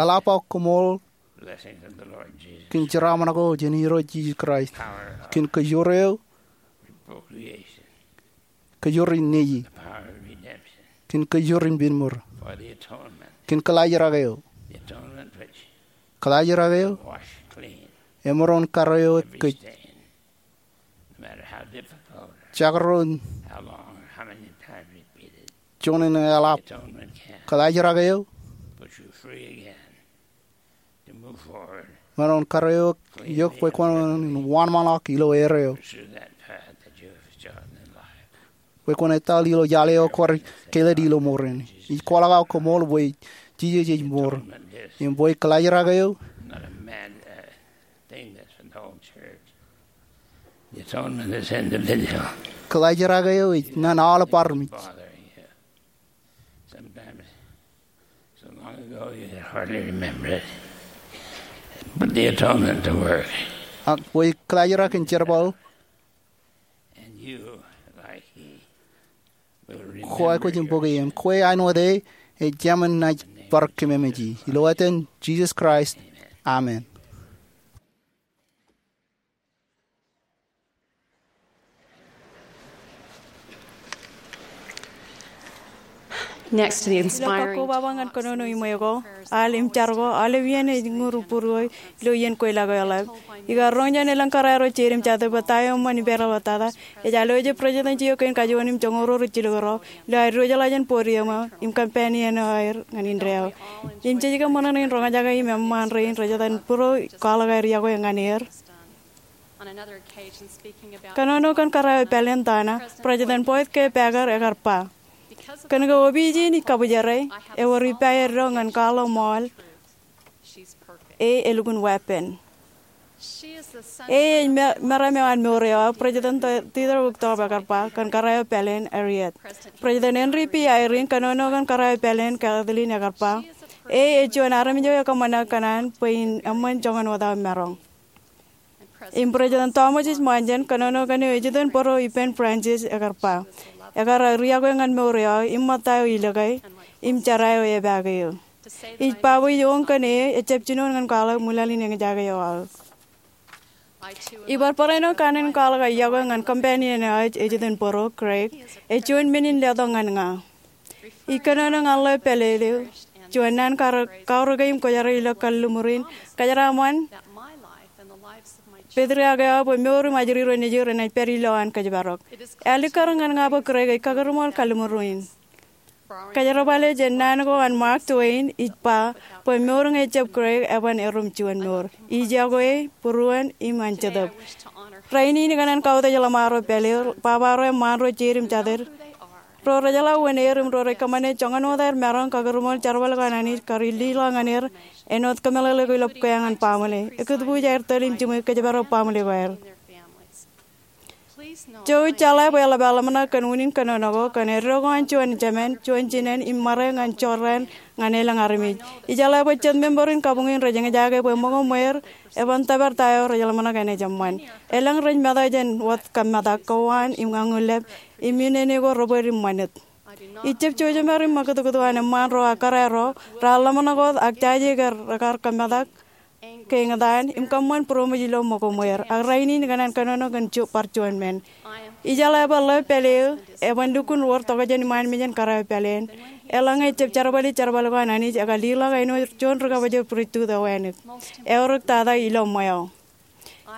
Eḷap aō koṃṃool kōn jeraaṃṃan ko jān Irooj Jisōs Kraist, kōn kōjwōj eo, kōjwōj in neji, kōn kōjwōj in binmūr, kōn kaḷajrak eo, kaḷajrak eo emaroñ kar eo kōj. Jekdọọn juon in eḷap, kaḷajrak eo emaroñ kar eok bwe kwōn wōnṃaanḷọk ilo erreo, bwe kwōn etal ilo iaḷ eo kwaar kāālōt ilo mour in. Ij kwaḷọk aō koṃṃool bwe Jisōs ej mour im bwe kaḷajrak eo, kaḷajrak eo ej ñan aolep armej. Ak bwe kaḷajrak in jerbal, kwōj kwōj in bōke im kwe āinwōt e ej jemān naaj bar kōmemeje. Ilo etan Jisōs Kraist, amen. Ilo kōkkobaba ñan kōnono iṃwe ko, al im jar ko, aolep iien ej ñūr būruō ilo iien kweilọk eo eḷap. Ikar roñ jān elōñ kōrā ro jeid im jatū bwe ta eo eṃṃan ippāerro tata. Ej alwōj President J. F. Kennedy kein kajuon im joñoul ruo rijjilōk ro ilo aer diwōjḷọk jān podium eo im kōmpān iien eo aer ñan indeeo. Im jej kōṃṃan in roñjake im eṃṃaan rein rej jatū būruō kwaḷọk aer yokwe ñan er. Kōnono kōn kōrā eo epāleen Donna, President Boyd K. Packer ekar ba, kōnke opiij in ej kabwijere, ewōr ippāerro ñan kwaḷọk ṃool. E elukkuun weeppān. E ej meram eo an mour eo aō. President Theodore Uchtdorf ekar ba kōn kōrā eo epāleen Harriet. President Henry B. Eyring kōnono kōn kōrā eo epāleen Kathleen ekar ba, e ej juon armej eo ekōṃṃan kōṇaan bwe in eṃṃan joñan wōt aō maroñ. Im President Thomas S. Monson kōnono kōn eo ej itok in bōro ippān Francis ekar ba, ekar riakwe ñan mour eo aō im ṃōtta eo ilōke im jera eo epaake eō. Ij ba bwe ij oñ kōn e ejjab jinoin ñan kwaḷọk ṃwilaḷ in eñjake eo aō. Ibar barāinwōt kanaan in kwaḷọk aō iọkwe ñan companion eo ej itok in bōro, Craig, ej juon men in letok ñan ña. Ij kōnono ñan ḷeo pālele eo, juon naan kaorōke im kwōjarjar ilo kalliṃur in, kōjeraaṃṃan patriarch eo aō bwe mour im ajri ro nejū renaaj pād ilowaan kōjparok. Ear likkar ñan ña bwe Craig ej kakūrṃool kalliṃur in. Kōjerbale jān naan ko an Mark Twain, ij ba bwe mour ñe ejjab Craig eban erom juon mour. Ij iọkwe e būruon im an Jetōb. Rainin ikōṇaan kautiej ḷōṃaro pāle eo, baba ro, eṃṃaan ro, jeid im jatid, ro rejeḷā uwaan er im ro rej kōṃṃane joñan wōt aer maroñ kakūrṃool jerbal ko an Anij kar illiḷọk ñan er āinwōt kōmeḷeḷe ko ilo bukwe an baaṃle. Ekūtbuuj aer tōl im jiṃwe kōjparok baaṃle ko aer. Jouj jeḷā bwe eḷap aō ḷōmṇak kōn unin kōnono ko, kōn eddo ko an juon jemān, juon jinān im ṃare ñan jorrāān ñan elōñ armej. Ij jeḷā bwe jet member in kabuñ in rej eñjake bwe ṃōko ṃweer eban tōpar ta eo rej ḷōmṇak enaaj eṃṃan. Elōñ rej mata jān wōt kōmmetak, kowaan im ñañullep, im iien eo ko rebōd im ṃanit. Ij jab jouj jeṃaad im ṃakūtkūt ko an eṃṃaan ro ak kōrā ro raar ḷōmṇak wōt ak jaje ke rekar kōmmetak, ke eñtaan, im kōṃṃan būroṃōj ilo ṃōko ṃweer. Ak rainin ikōṇaan kōnono kōn bar juon men. Ij jeḷā bwe ḷeo pāle eo eban lukkuun wōr tokjān iṃaan mejān kōrā eo pāleen. Eḷaññe ejjab jerbali jerbal ko an Anij, ekar liḷọk āinwōt juon rikabwejāer pristut eo wānōk. Eorōk tata ilo ṃweo.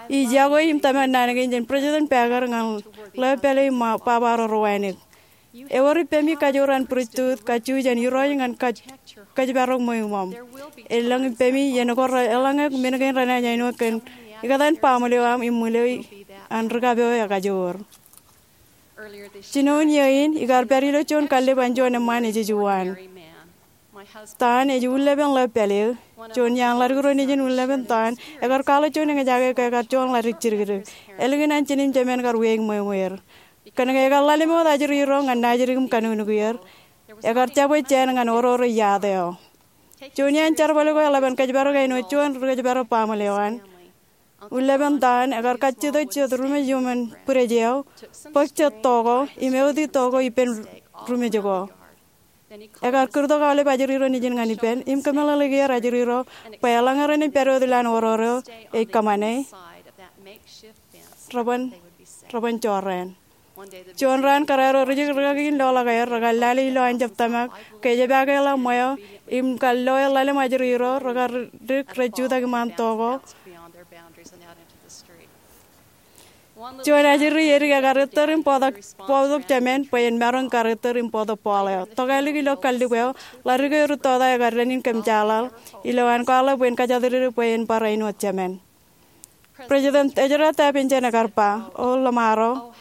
Ij iọkwe im tōmak naan kein jān President Packer ñan ḷeo pāle im baba ro rewānōk. Ewōr ippemi kajoor an pristut, kajju jān irooj ñan kōjparok ṃweo iṃōṃ. Elōñ ippemi iien ko eḷaññe men kein renaaj āinwōt kōn ikōtaan baaṃle eo aṃ im ṃwilaḷ an rikab eo ekajoor. Jinoin iiō in, ikar pād ilo juon kallib an juon eṃṃaan ejejjo waan. Taan ej ullepen ḷeo pāle eo. Juon iaan ḷadik ro nejin ullepen taan ekar kwaḷọk juon eñjake ke ekar juon ḷadik jidikdik. Ālikin an jinen jemān kar wiaik ṃweo ṃweer. Kōnke ekar ḷalem wōt ajri ro ñan naajdik im kanuknukier, ekar jabwe jāān ñan orore iaad eo. Juon iaan jerbal ko eḷap an kōjparok āinwōt juon ri-kōjparok baaṃle eo an. Ullepen taan ekar kajjitōk jet rumej iuṃwin bwidej eo, bōk jet to ko im ewōti to ko ippān rumej ko. Ekar kūrtok aolep ajri ro nejin ñan ippān im kōmeḷeḷeiki er ajri ro bwe eḷaññe renaaj pād wōt ilowaan orore eo ej kōṃṃane, reban jorrāān. Juon raan kōrā ro rijik rikaki in loḷọk aer, rekar lale ilo an jab tōmak ke ej epaake ḷọk ṃweo, im kar lo er ḷalem ajri ro, rekar dik rej jutak iṃaan to ko. Juon ajri edik ekar ettōr im bōktok jemān bwe en maroñ kar ettōr im bōktok bọọḷ eo. Tokālik ilo kallib eo, ḷadik eo ri tota ekar dān in kōmjeḷāḷ ilowaan kwaḷọk bwe en kajatdikdik bwe en bar āinwōt jemān. President Ezra Taft Benson ekar ba, O ḷōṃaro,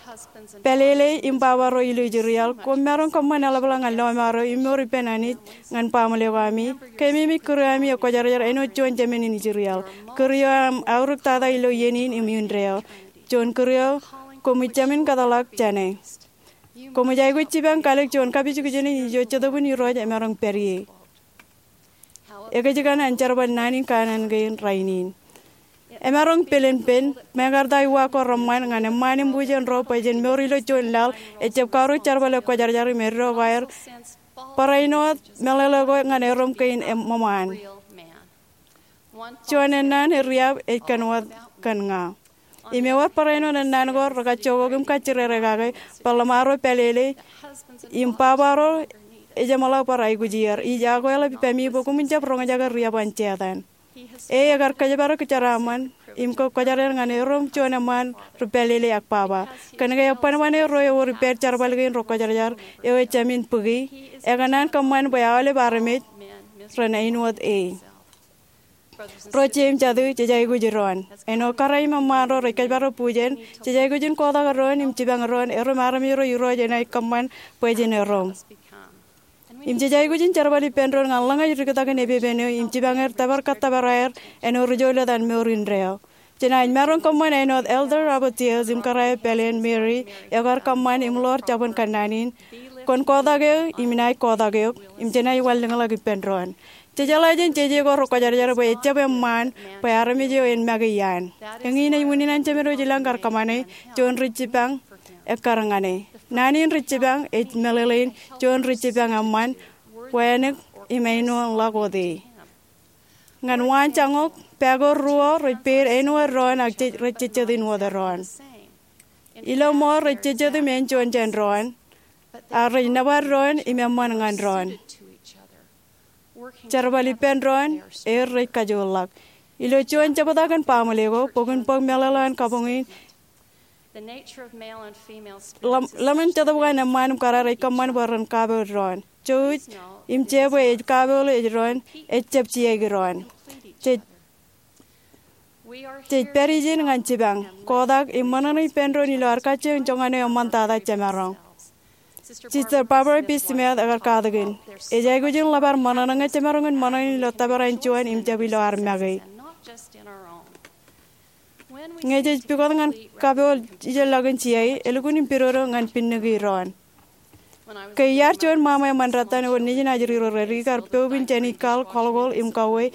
pālele im baba ro ilo Israel, koṃ maroñ kōṃṃan eḷapḷọk ñan lọmọọr eo im mour ippān Anij ñan baaṃle ko ami. Keememej kūr eo ami ekwōjarjar āinwōt juon jemān in Israel. Kūr eo aṃ aorōk tata ilo iien in im indeeo. Juon kūr eo koṃij jāmin kōtḷọk jāne. Koṃij aikuj jipañ kalik juon kapijukjuk in ijo Jetōb in Irooj emaroñ pād ie. Ekōjkan an jerbal naan in kanaan kein rainin. Emaroñ pilinpil, mekarta iwa ko reṃṃan ñan eṃṃaan im bujen ro bwe jen mour ilo juon laḷ ejjab kaorōk jerbal ekwōjarjar im eddo ko aer barāinwōt meḷeḷe ko ñan erom kein eṃṃaan. Juon ennaan eriab ej kōn wōt kōn ña. Im ewōr barāinwōt ennaan ko rekajjoñak im kajjirere kake bwe ḷōṃaro pālele im baba ro ejeṃḷọk bar aikuj er. Ij akweḷap ippemi bwe koṃwin jab roñjake riab an Setan. E ekar kōjparok jeraaṃṃan im kwōjarjar ñan erom juon eṃṃaan ri pālele ak baba. Kōnke eban ro ewōr ippād jerbal kein rekwōjarjar eo ejāmin bōki, ekōṇaan kōṃṃan bwe aolep armej ren āinwōt e. Ro jeiū im jatū, jej aikuj doon. Āinwōt kōrā im eṃṃaan ro rej kōjparok bujen, jej aikuj in kotak doon im jipañ doon erom armej ro Irooj enaaj kōṃṃan bwe jen erom. Im jej aikuj in jerbal ippān doon ñan ḷōñaj diktakin epepen eo im jipañ er tōpar kōttōpar aer āinwōt ri jouj ḷọk an mour indeeo. Jenaaj maroñ kōṃṃan āinwōt Elder Robert Sales im kōrā eo pāleen Mary ekar kōṃṃan im ḷoor jabōn kōnnaan in, Kwōn kotak eō im inaaj kotak eok, im jenaaj wanlōñḷọk ippān doon. Jejeḷā jān jeje ko rekwōjarjar bwe ejjab eṃṃaan bwe armej eo en make iaan. Eñin ej unin an Jemedwōj ilañ kar kōṃṃane juon ri jipañ ekkar ñan e. Naan in ri jipañ ej meḷeḷein juon ri jipañ eṃṃan, wānōk im āinwōt ḷọk wōt e. Ñan waanjoñak, pāākor ruo rej peid āinwōt doon ak jej, rej jejjet in wōt doon. Ilo ṃool rej jejjet im āinjuon jān doon, ak rej nōbar doon im eṃṃan ñan doon. Jerbal ippān doon, er rej kajoor ḷọk. Ilo juon jebta kōn baaṃle ko, bok in bōk meḷeḷe an kabuñ in, ḷōm-, ḷōmṇak Jetōb ko an eṃṃaan im kōrā rej kōṃṃan bwe ren kapoor doon. Jouj im je bwe ej kapoor eo ej doon, ejjab jiaik doon. Jej, jej pād ijin ñan jipañ, kotak im ṃōṇōṇō ippān doon ilo ad kajjioñ joñan eo eṃṃantata jemaroñ. Sister Barbara B. Smith ekar katakin, ej aikuj in ḷap ad ṃōṇōṇō ñe jemaroñ in ṃōṇōṇō ilo tōprak in juon im jab ilo ad make. Ñe jej pukot ñan kapoor ijellọkin jiai, elukkuun im pidodo ñan pinniki doon. Ke iar juon ṃaṃa eṃṃan dettan wōt nejin ajri ro redik, ikar poub in jāni kal, kọlkol im kauwe.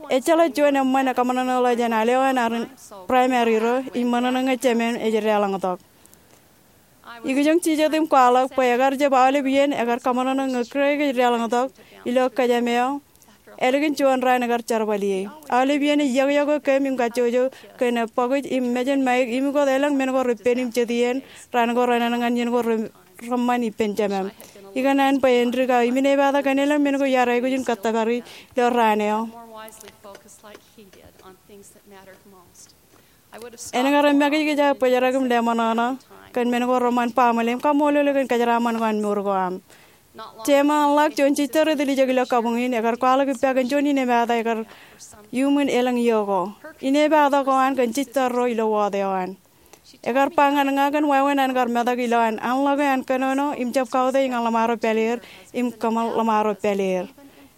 Ejjeḷọk juon eṃṃan ekaṃōṇōṇō ḷọk jān al eo an arin praimari ro im ṃōṇōṇō ñe jemān ej deḷọñtok. Ikijjeen jijet im kwaḷọk bwe ekar jab aolep iien ekar kaṃōṇōṇō ñe Craig ej deḷọñtok ilo kōjām eo. Ālikin juon raan ekar jerbal ie. Aolep iien ej yokyoke kōm im kajjojo kōn bōkaj im mejān Mike im ikot elōñ men ko repen im jet iien raan ko renaaj ñan iien ko re, reṃṃan ippān jemām. Ikōṇaan bwe en dik aō im inepata kōn elōñ men ko iar aikuj in kōttōpar ilo raan eo. En kar make kōj aō bōjrak im leṃōṇōṇō kōn men ko reṃṃan baaṃle im kaṃṃoolol eok kōn kōjeraaṃṃan ko an mour ko aṃ. Jeṃaanḷọk juon sister eo ej dilijek ilo kabuñ in, ekar kwaḷọk ippa kōn juon inepata ekar iuṃwin elōñ iiō ko. Inepata ko an kōn sister ro ilo ward eo an. Ekar ba ñan ña kōn wāween an kar metak ilowaan anḷọke an kōnono im jab kautiej ñan ḷōṃaro pāleer im kōṃṃan ḷōṃaro pāleer.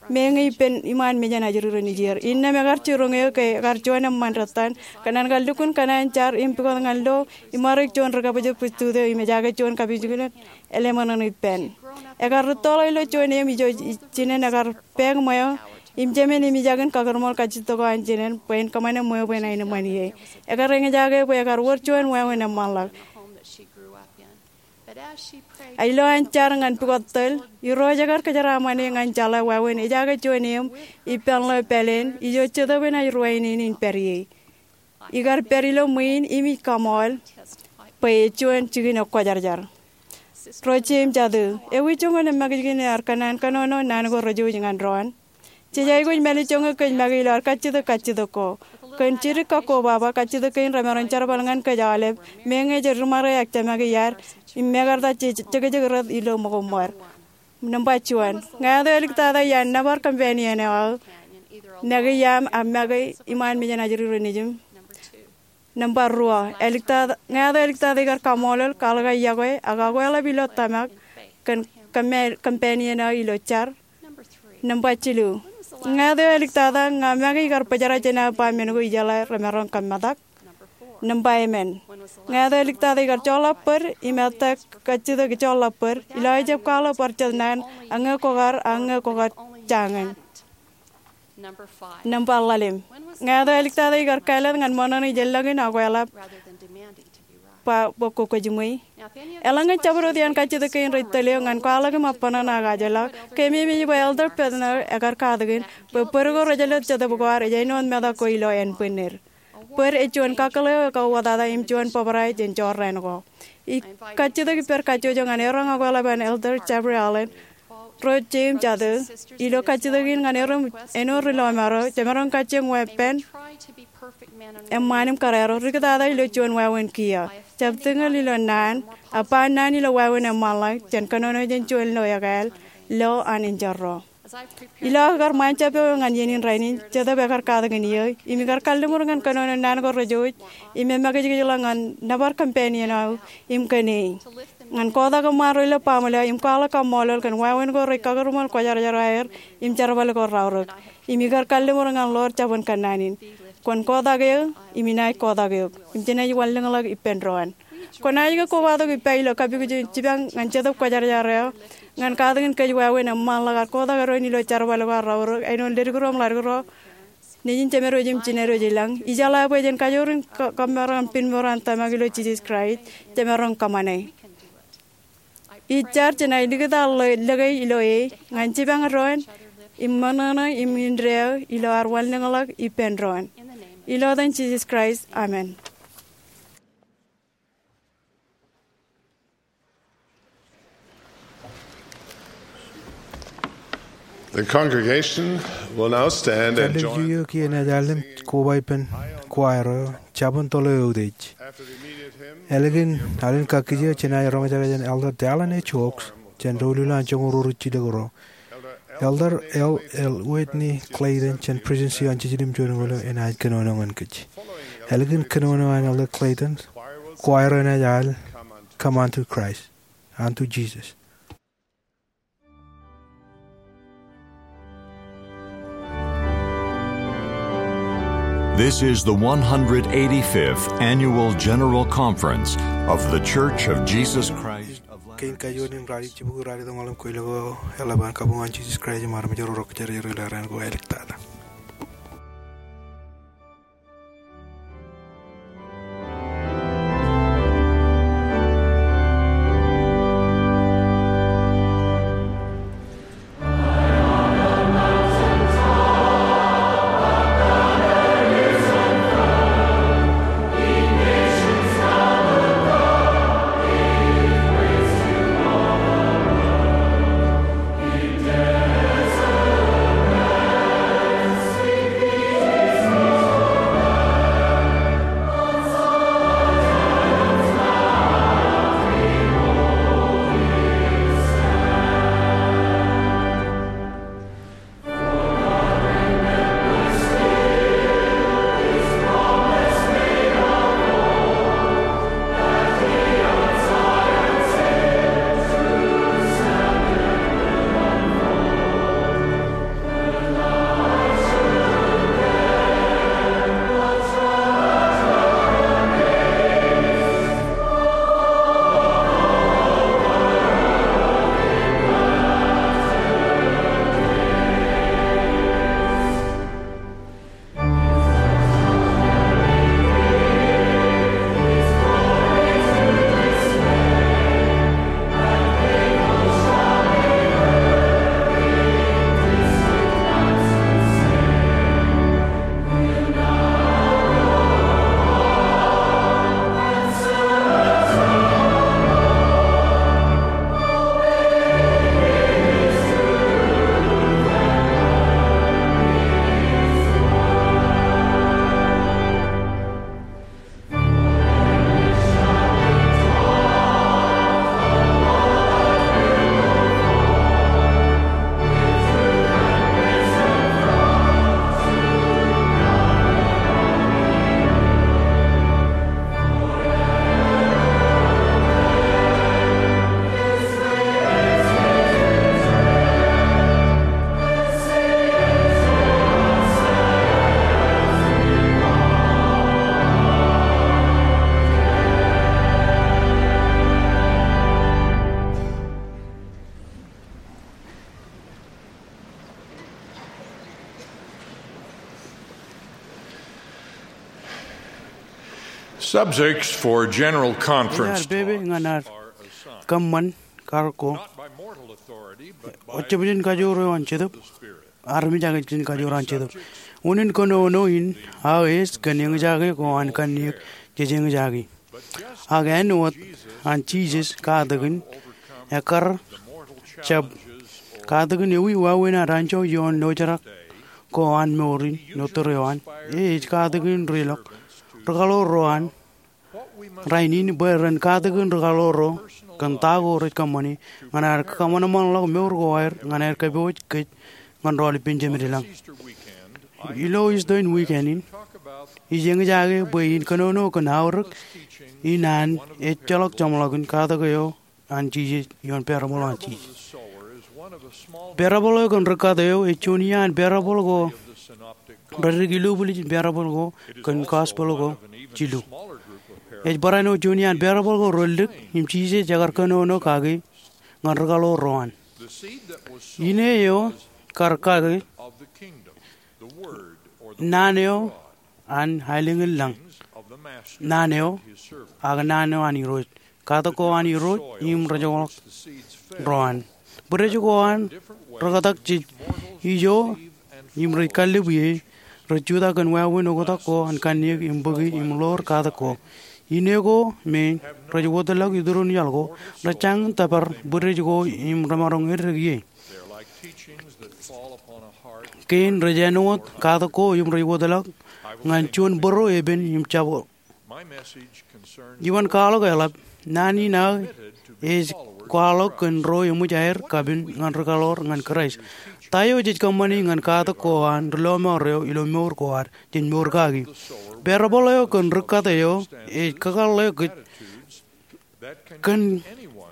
Meñe ippān iṃaan mejān ajri ro nejier. Innām ekar jiroñ eō ke ekar juon eṃṃan dettan kōn an kar lukkuun kōṇaan jar im pukot ñan lo im ṃarōk juon ri kabwijbwij tut eo im ejaake juon kabwijbwij eo leṃōṇōṇō ippān. Ekar rūttoḷọk ilo juon eṃ ijo jinen ekar pāāk ṃweo im jemān eṃōj aō kakūrṃool kajjitōk ko an jinen bwe en kōṃṃane ṃweo bwe en aenōṃṃan ie. Ekar eñjake bwe ekar wōr juon wāween eṃṃanḷọk. Ak ilowaan jar ñan pukot tōl, Irooj ekar kōjeraaṃṃan e ñan jeḷā wāween ejaake juon eṃ ippān ḷeo pāleen ijo Jetōb enaaj ruwainene in pād ie. Ikar pād ilo ṃwiin im ij kaṃool bwe ej juon jikin ekwōjarjar. Ro jeiū im jatū, ewi joñan eṃṃakūt jikin ear kōnnaan kōnono naan ko rejouj ñan doon? Jej aikuj mālejjoñe kōj make ilo ad kajjitōk kajjitōk ko. Kōn jidik kakkobaba, kajjitōk kein remaroñ jerbal ñan kōj aolep, meñe jej ri ṃare ak jemake iaad im mekarta jej jekjek rot ilo ṃōko ṃōr. Nōṃba juon, ñāāt eo āliktata iaan nōbar companion eo aō make iaam ak make iṃaan mejān ajri ro nejiṃ? Nōṃba ruo, āliktata, ñāāt eo āliktata ikar kaṃṃoolol, kwaḷọk aō yokwe ak akweḷap ilo tōmak kōn companion eo ilo jar? Nōṃba jilu, ñāāt eo āliktata ña make ikar bōjrak jān aō ba men ko ijeḷā remaroñ kōmmetak? Nōṃba emān, ñāāt eo āliktata ikar joḷọk bōd im ettā kajjitōk joḷọk bōd ilo aō jab kwaḷọk bar jet naan ak ñe kwōkar ak ñe kwōkar jañin? Nōṃba ḷalem, ñāāt eo āliktata ikar kāālōt ñan ṃōṇōṇō ijellọkin akweḷap ba bwe kwō kwōj ṃweiū? Eḷaññe jabdewōt iaan kajjitōk kein rej tōl eok ñan kwaḷọk im abṇōṇō ak ajlọk, keememej bwe Elder Bednar ekar katakin bwe bōd ko rej jelōt Jetōb ko ad ej āinwōt metak ko ilo ānbwinnid. Bōd ej juon kakkōḷḷe eo ekauwōtata im juon bōbrae jān jorrāān ko. Ij kajjitōk ippād kajjojo ñan eroñ akweḷap an Elder Jeffrey Holland, ro jeiū im jatū, ilo kajjitōk in ñan erom āinwōt ri-lọmọọr ro, jemaroñ kajjioñ weeppān eṃṃaan im kōrā ro, riktata ilo juon wāween kiiō. Jab tūñal ilo naan, ak ba naan ilo wāween eṃṃanḷọk, jān kōnono jān juon lo ekāāl, lo an enjeḷ ro. Ilo aō kar ṃaanjab eo ñan iien in rainin, Jetōb ekar katakin eō, im ikar kalliṃur ñan kōnono naan ko rejouj, im emakijkijḷọk ñan nōbar companion eo aō, im kōn e. Ñan kotak eṃṃaan ro ilo baaṃle eo, im kwaḷọk kaṃṃoolol kōn wāween ko rej kakūrṃool kwōjarjar aer, im jerbal ko raorōk. Im ikar kalliṃur ñan ḷoor jabōn kōnnaan in. Kwōn kotak eō, im inaaj kotak eok. Im jenaaj wanlōñḷọk ippān doon. Kwōnaaj ke kobatok ippa ilo kapikuj in jipañ ñan Jetōb Kwōjarjar eo ñan katakin kōj wāween eṃṃanḷọk ad kotak eddoin ilo jerbal ko an raorōk, āinwōt leddik ro im ḷaddik ro, nejin jemed wōj im jined wōj i lañ? Ijeḷā bwe jen kajoor in ka-, kōmmaroñ im pinmour an tōmak ilo Jisōs Kraist, jemaroñ kōṃṃane. Ij jar jenaaj likūt aō lo-, lōke ilo e ñan jipañ doon im ṃōṇōṇō im indeeo ilo ad wanlōñḷọk ippān doon. Ilo etan Jisōs Kraist, amen. The congregation will now stand and join. Kallel eo kiiō enaaj al im koba ippān choir eo, Jabōn Toḷ eo Utiej. Ālikin alen kakkije, jenaaj roñjake jān Elder Dallin H. Oaks jān doulul an joñoul ruo ri jilkinro. Elder L. L. Whitney Clayton jān Presidency an Jiljilimjuon in Ṃwiin enaaj kōnono ñan kōj. Ālikin kōnono an Elder Clayton, choir eo enaaj al Come Unto Christ, Unto Jesus. This is the one hundred eighty-fifth Annual General Conference of The Church of Jesus Christ of Latter-day Saints. Kein kajuon in ralitōñḷọk eo, eḷap an kabuñ an Jisōs Kraist im armej ro rej kōjerjer ilo raan ko āliktata. Subjects for general conference talks are assigned, not by mortal authority, but by the Holy Spirit. Ejjab jān kajoor eo an Jetōb, armej ak ej jān kajoor an Jetōb. Unin kōnono in aō ej kōn eñjake ko an kanniōk jej eñjake. Ak āinwōt an Jisōs katakin ekkar jab katakin ewi wāween ad anjọ ioon lojerak ko an mour in, ilo tōre eo an, e ej katakin ri-lọk, ri-kaḷoor ro an rainin bwe ren katakin ri-kaḷoor ro kōn ta ko rej kōṃṃane ñan aer kōṃanṃanḷọk mour ko aer ñan aer kōpooj kōj ñan rọọl ippān Jemed ilañ. Ilo Easter in wiken in, ij eñjake bwe in kōnono kōn aorōk in an ejjeḷọk jeṃḷọkin katak eo an Jisōs ioon parable an Jisōs. Parable eo kōn ri-kat eo ej juon iaan parable ko reddik ilubwiljin parable ko kōn gospel ko jilu. Ej barāinwōt juon iaan parable ko relōñ im Jisōs ekar kōnono kaki ñan ri kaḷoor ro an. Ine eo kar kaki naan eo an aelōñ in lañ, naan eo, ak naan eo an Irooj, katak ko an Irooj im rej joḷọk ro an. Bwidej ko an rōktak jej ijo im rej kallib ie, rej jutak kōn wāween oktak ko an kanniōk im bōki im ḷoor katak ko. Ine ko me rej wōtlọk iturin iaḷ ko rej jañin tōpar bwidej ko im remaroñ eddek ie. Kein rej āinwōt katak ko im rej wōtlọk ñan juon bōro epen im jab. Iwōn kwaḷọk eḷap, naan in aō ej kwaḷọk kōn ro eṃōj aer kapen ñan ri kaḷoor ñan Kraist. Ta eo jej kōṃṃani ñan katak ko an ri lọmọọr eo ilo mour ko ad, jej mour kaki? Parable eo kōn ri kat eo ej kakōḷḷe kōj kōn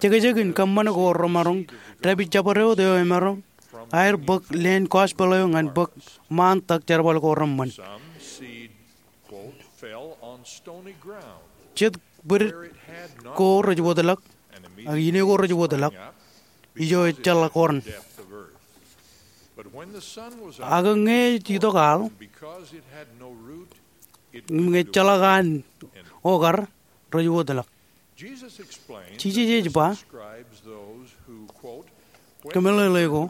jekjek in kōṃṃan ko remaroñ dāpij jabdewōt eo emaroñ aer bōk leen gospel eo ñan bōk ṃaan tak jerbal ko reṃṃan. Jet bwidej ko rej wōtlọk, ak ine ko rej wōtlọk, ijo ejjeḷọk oran. Ak ñe ej itok al, ñe ejjeḷọk an okar, rej wōtlọk. Jisōs ej ba, kōmeḷeḷe ko,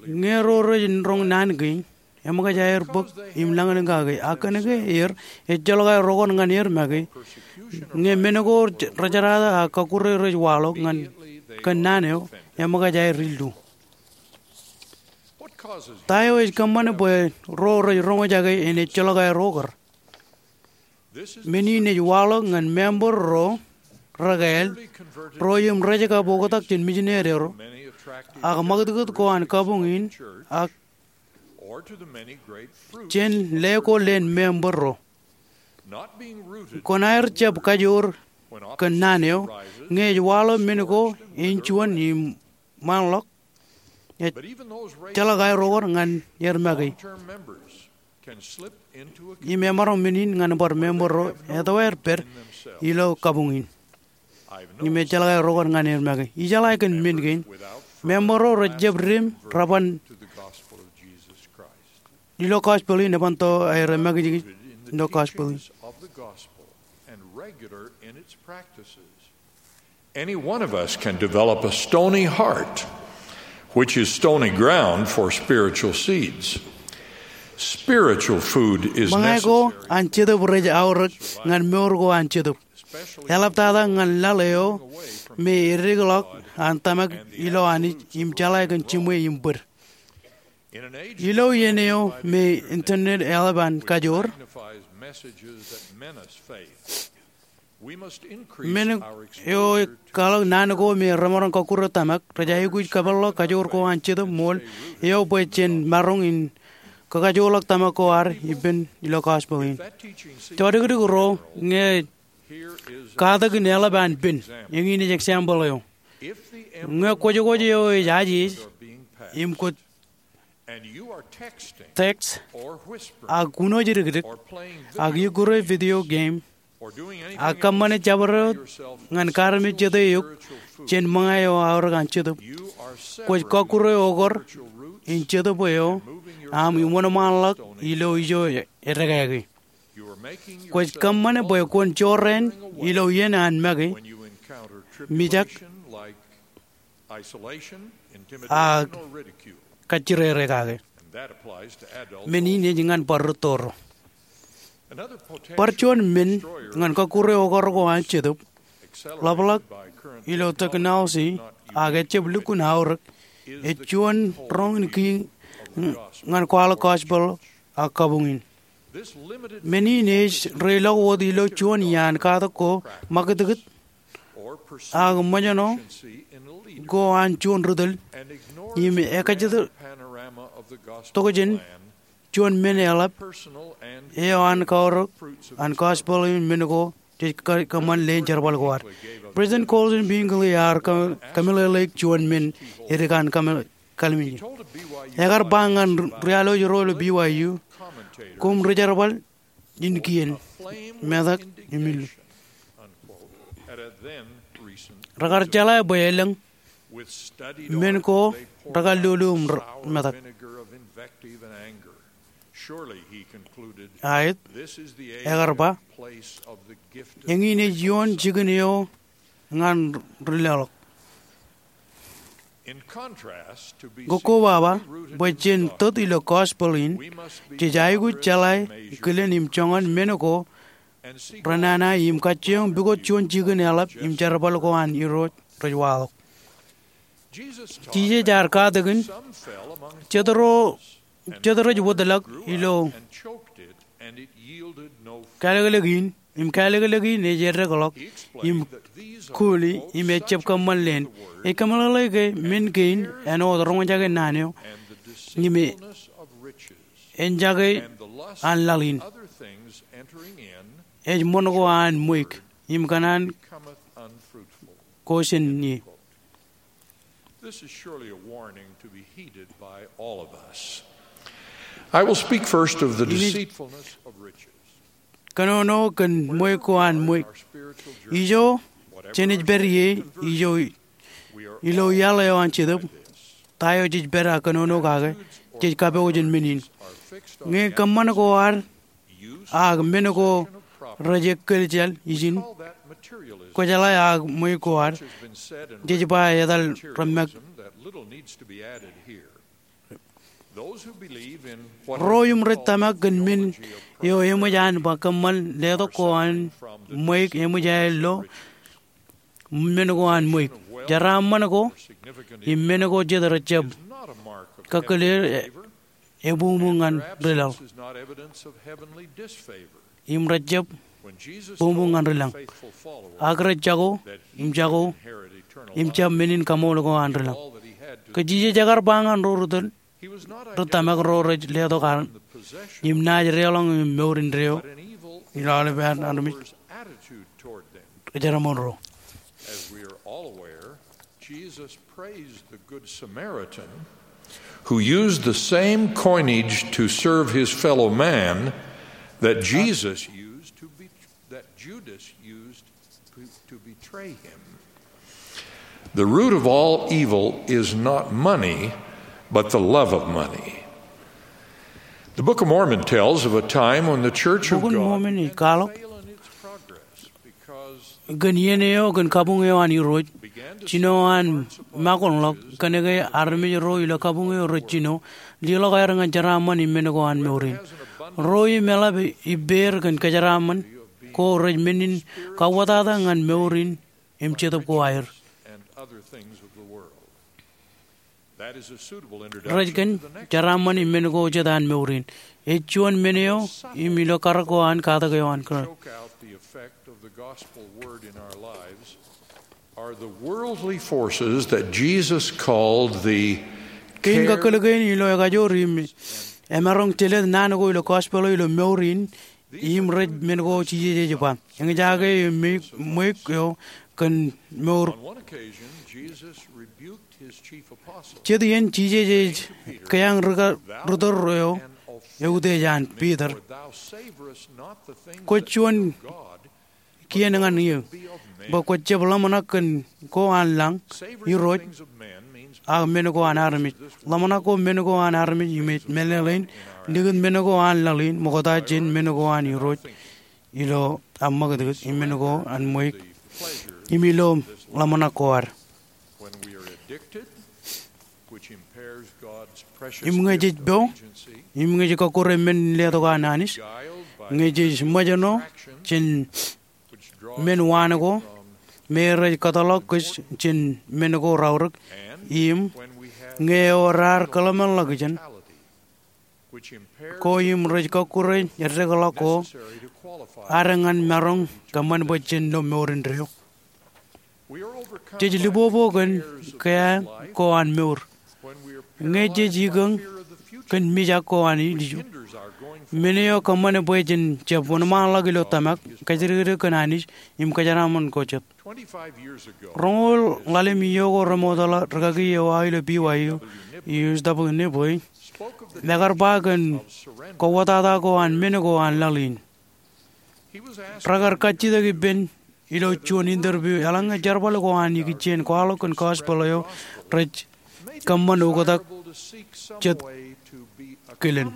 ñe ro rej roñ naan kein, eṃōkaj aer bōk im lañlōñ kake, ak kōnke er, ejjeḷọk aer okar ñan er make. Ñe men ko rejeraata ak kọkkure rej waḷọk ñan kōn naan eo, eṃōkaj aer illu. Ta eo ej kōṃṃane bwe ro rej roñjake en ejjeḷọk aer okar? Men in ej waḷọk ñan member ro rekāāl, ro im rej kab oktak jān misineri ro, ak ṃakūtkūt ko an kabuñ in, ak jān leko leen member ro. Kwōn aer jab kajoor kōn naan eo, ñe ej waḷọk men ko āinjuon im ṃaanḷọk, ejjeḷọk aer okar ñan er make. Im emaroñ men in ñan bar member ro etto aer pād ilo kabuñ in. Im ejjeḷọk aer okar ñan er make. Ijeḷā kōn men kein, member ro rej jab dim raban ilo gospel in, eban to aer make jekjek ilo gospel in. Any one of us can develop a stony heart, which is stony ground for spiritual seeds. Spiritual food is necessary. Ṃōñā ko an Jetōb rej aorōk ñan mour ko an Jetōb, eḷaptata ñan laḷ eo me eddekḷọk an tōmak ilo Anij im jeḷā kōn jiṃwe im bōd. Ilo iien eo me internet eḷap an kajoor, men eo kwaḷọk naan ko me remaroñ kọkkure tōmak rej aikuj kōpeḷḷọk kajoor ko an Jetōb ṃool eo bwe jen maroñ in kakajoorḷọk tōmak ko ad ippān ilo gospel in. Jodikdik ro, ñe katak in eḷap an pen, eñin ej example eo. Ñe kwōjkwōj eo ej ajeej im kwōj text, ak unooj dikdik, ak ikkure video game, ak kōṃṃane jabdewōt ñan karmej jete eok jān ṃōñā eo aorōk an Jetōb, kwōj kọkkure okar in Jetōb eo aṃ im wōnṃaanḷọk ilo ijo eddekāke. Kwōj kōṃṃane bwe kwōn jorrāān ilo iien an make, mijak, ak kajjirere kake. Men in ej ñan bar rūtto ro. Bar juon men ñan kọkkure okar ko an Jetōb, ḷapḷọk ilo technology ak ejjab lukkuun aorōk, ej juon roñ in kiiñ ñan kwaḷọk gospel ak kabuñ in. Men in ej reilọk wōt ilo juon iaan katak ko ṃakūtkūt ak ṃōjṇọ ko an juon ri tōl, im ekajjitōk tokjān juon men eḷap eo an kaorōk an gospel in men ko jej kōṃṃan leen jerbal ko ad. President Colson B. Hinckley ear kōmeḷeḷeik juon men edik an kallimjek. Ekar ba ñan ri-, ri-anij ro ilo B Y U, koṃ ri-jerbal in kien, metak im illu. Rekar jeḷā bwe elōñ men ko rekar lolo im metak. Aet, ekar ba, eñin ej ioon jikin eo ñan ri leḷọk. Kōn kobaba bwe jen tōt ilo gospel in, jej aikuj jeḷā kilen im joñan men ko renana im kajjioñ pukot juon jikin eḷap im jerbal ko an Irooj rej waḷọk. Jisōs ear katakin, jet ro, jet rej wōtlọk ilo kālōklōk in, im kālōklōk in ej eddekḷọk im kuli im ejjab kōṃṃan leen. Ej kōmeḷeḷe ke men kein āinwōt roñjake naan eo im enjake an laḷ in, ej ṃōn ko an ṃweik im kōṇaan ko jān ie. This is surely a warning to be heeded by all of us. I will speak first of the deceitfulness of riches. Kōnono kōn ṃweik ko an ṃweik. Ijo, jenaaj pād ie, ijo, ilo iaḷ eo an Jetōb, ta eo jej pād ak kōnono kake, jej kapo jān men in. Ñe kōṃṃan ko ad ak men ko rej ekkōljel ijin, kwōjeḷā ak ṃweik ko ad, jej ba etal reṃṃak. Ro im rej tōmak kōn men eo eṃōj an ba kōṃṃan letok ko an ṃweik eṃōj aer lo men ko an ṃweik. Jeraaṃṃan ko im men ko jet rejjab kōkkuleer e, ebuñbuñ ñan ri laḷ. Im rejjab buñbuñ ñan ri laḷ. Ak rej jako, im jako, im jab men in kaṃool ko an ri laḷ. Ke Jisōs ekar ba ñan ro ri tōl, ri tōmak ro rej letok an, im naaj deḷọñ im mour indeeo, ilo aolepān armej rej jeraaṃṃan ro. As we are all aware, Jesus praised the Good Samaritan who used the same coinage to serve his fellow man that Jesus used to be, that Judas used to, to betray him. The root of all evil is not money, but the love of money. The Book of Mormon tells of a time when the Church of God Bok in Mormon ej kwaḷọk kōn iien eo kōn kabuñ eo an Irooj, jino an makoṇḷọk kōnke armej ro ilo kabuñ eo rej jino, leḷọk aer ñan jeraaṃṃan im men ko an mour in. Ro im eḷap ippāer kōn kōjeraaṃṃan ko rej men in kauwōtata ñan mour in im jetōb ko aer. Rej kōn jeraaṃṃan im men ko jet an mour in. Ej juon men eo im ilo karōk ko an katak eo an kōn. Are the worldly forces that Jesus called the Kein kakkōl kein ilo ekajoor im emaroñ jelōt naan ko ilo gospel eo ilo mour in, im rej men ko Jisōs ej ba. Eñjake eo ṃweik, ṃweik eo kōn mour. Jet iien Jisōs ej keañ ri tōl eo eutiej an Piter. Kwōj juon kien ñan eō, bwe kwōj jab ḷōmṇak kōn ko an lañ, Irooj, ak men ko an armej. Ḷōmṇak ko men ko an armej im ej meḷeḷein likūt men ko an laḷ in ṃokta jān men ko an Irooj ilo aṃ ṃakūtkūt im men ko an ṃweik im ilo ḷōmṇak ko ad. Im ñe jej po, im ñe jej kọkkure men in letok an Anij, ñe jej ṃōjṇọ jān men waan ko me rej kōtḷọk kōj jān men ko raorōk, im ñe eo raar kōḷmānḷọkjeṇ ko im rej kọkkure eddekḷọk ko ad ñan maroñ kōṃṃan bwe jen lo mour indeeo. Jej libobo kōn keañ ko an mour. Ñe jej ikōñ kōn mijak ko an ilju, men eo kōṃṃan bwe jen jab wōnṃaanḷọk ilo tōmak, kōjatdikdik kōn Anij, im kōjeraaṃṃan ko jet. Roñoul ḷalem iiō ko remootḷọk rikaki eo aō ilo B Y U, Hughes W. Nibley, ekar ba kōn kauwōtata ko an men ko an laḷ in. Rekar kajjitōk ippān ilo juon interview, eḷaññe jerbal ko an ikijjien kwaḷọk kōn gospel eo rej kōṃṃan oktak jet kilen.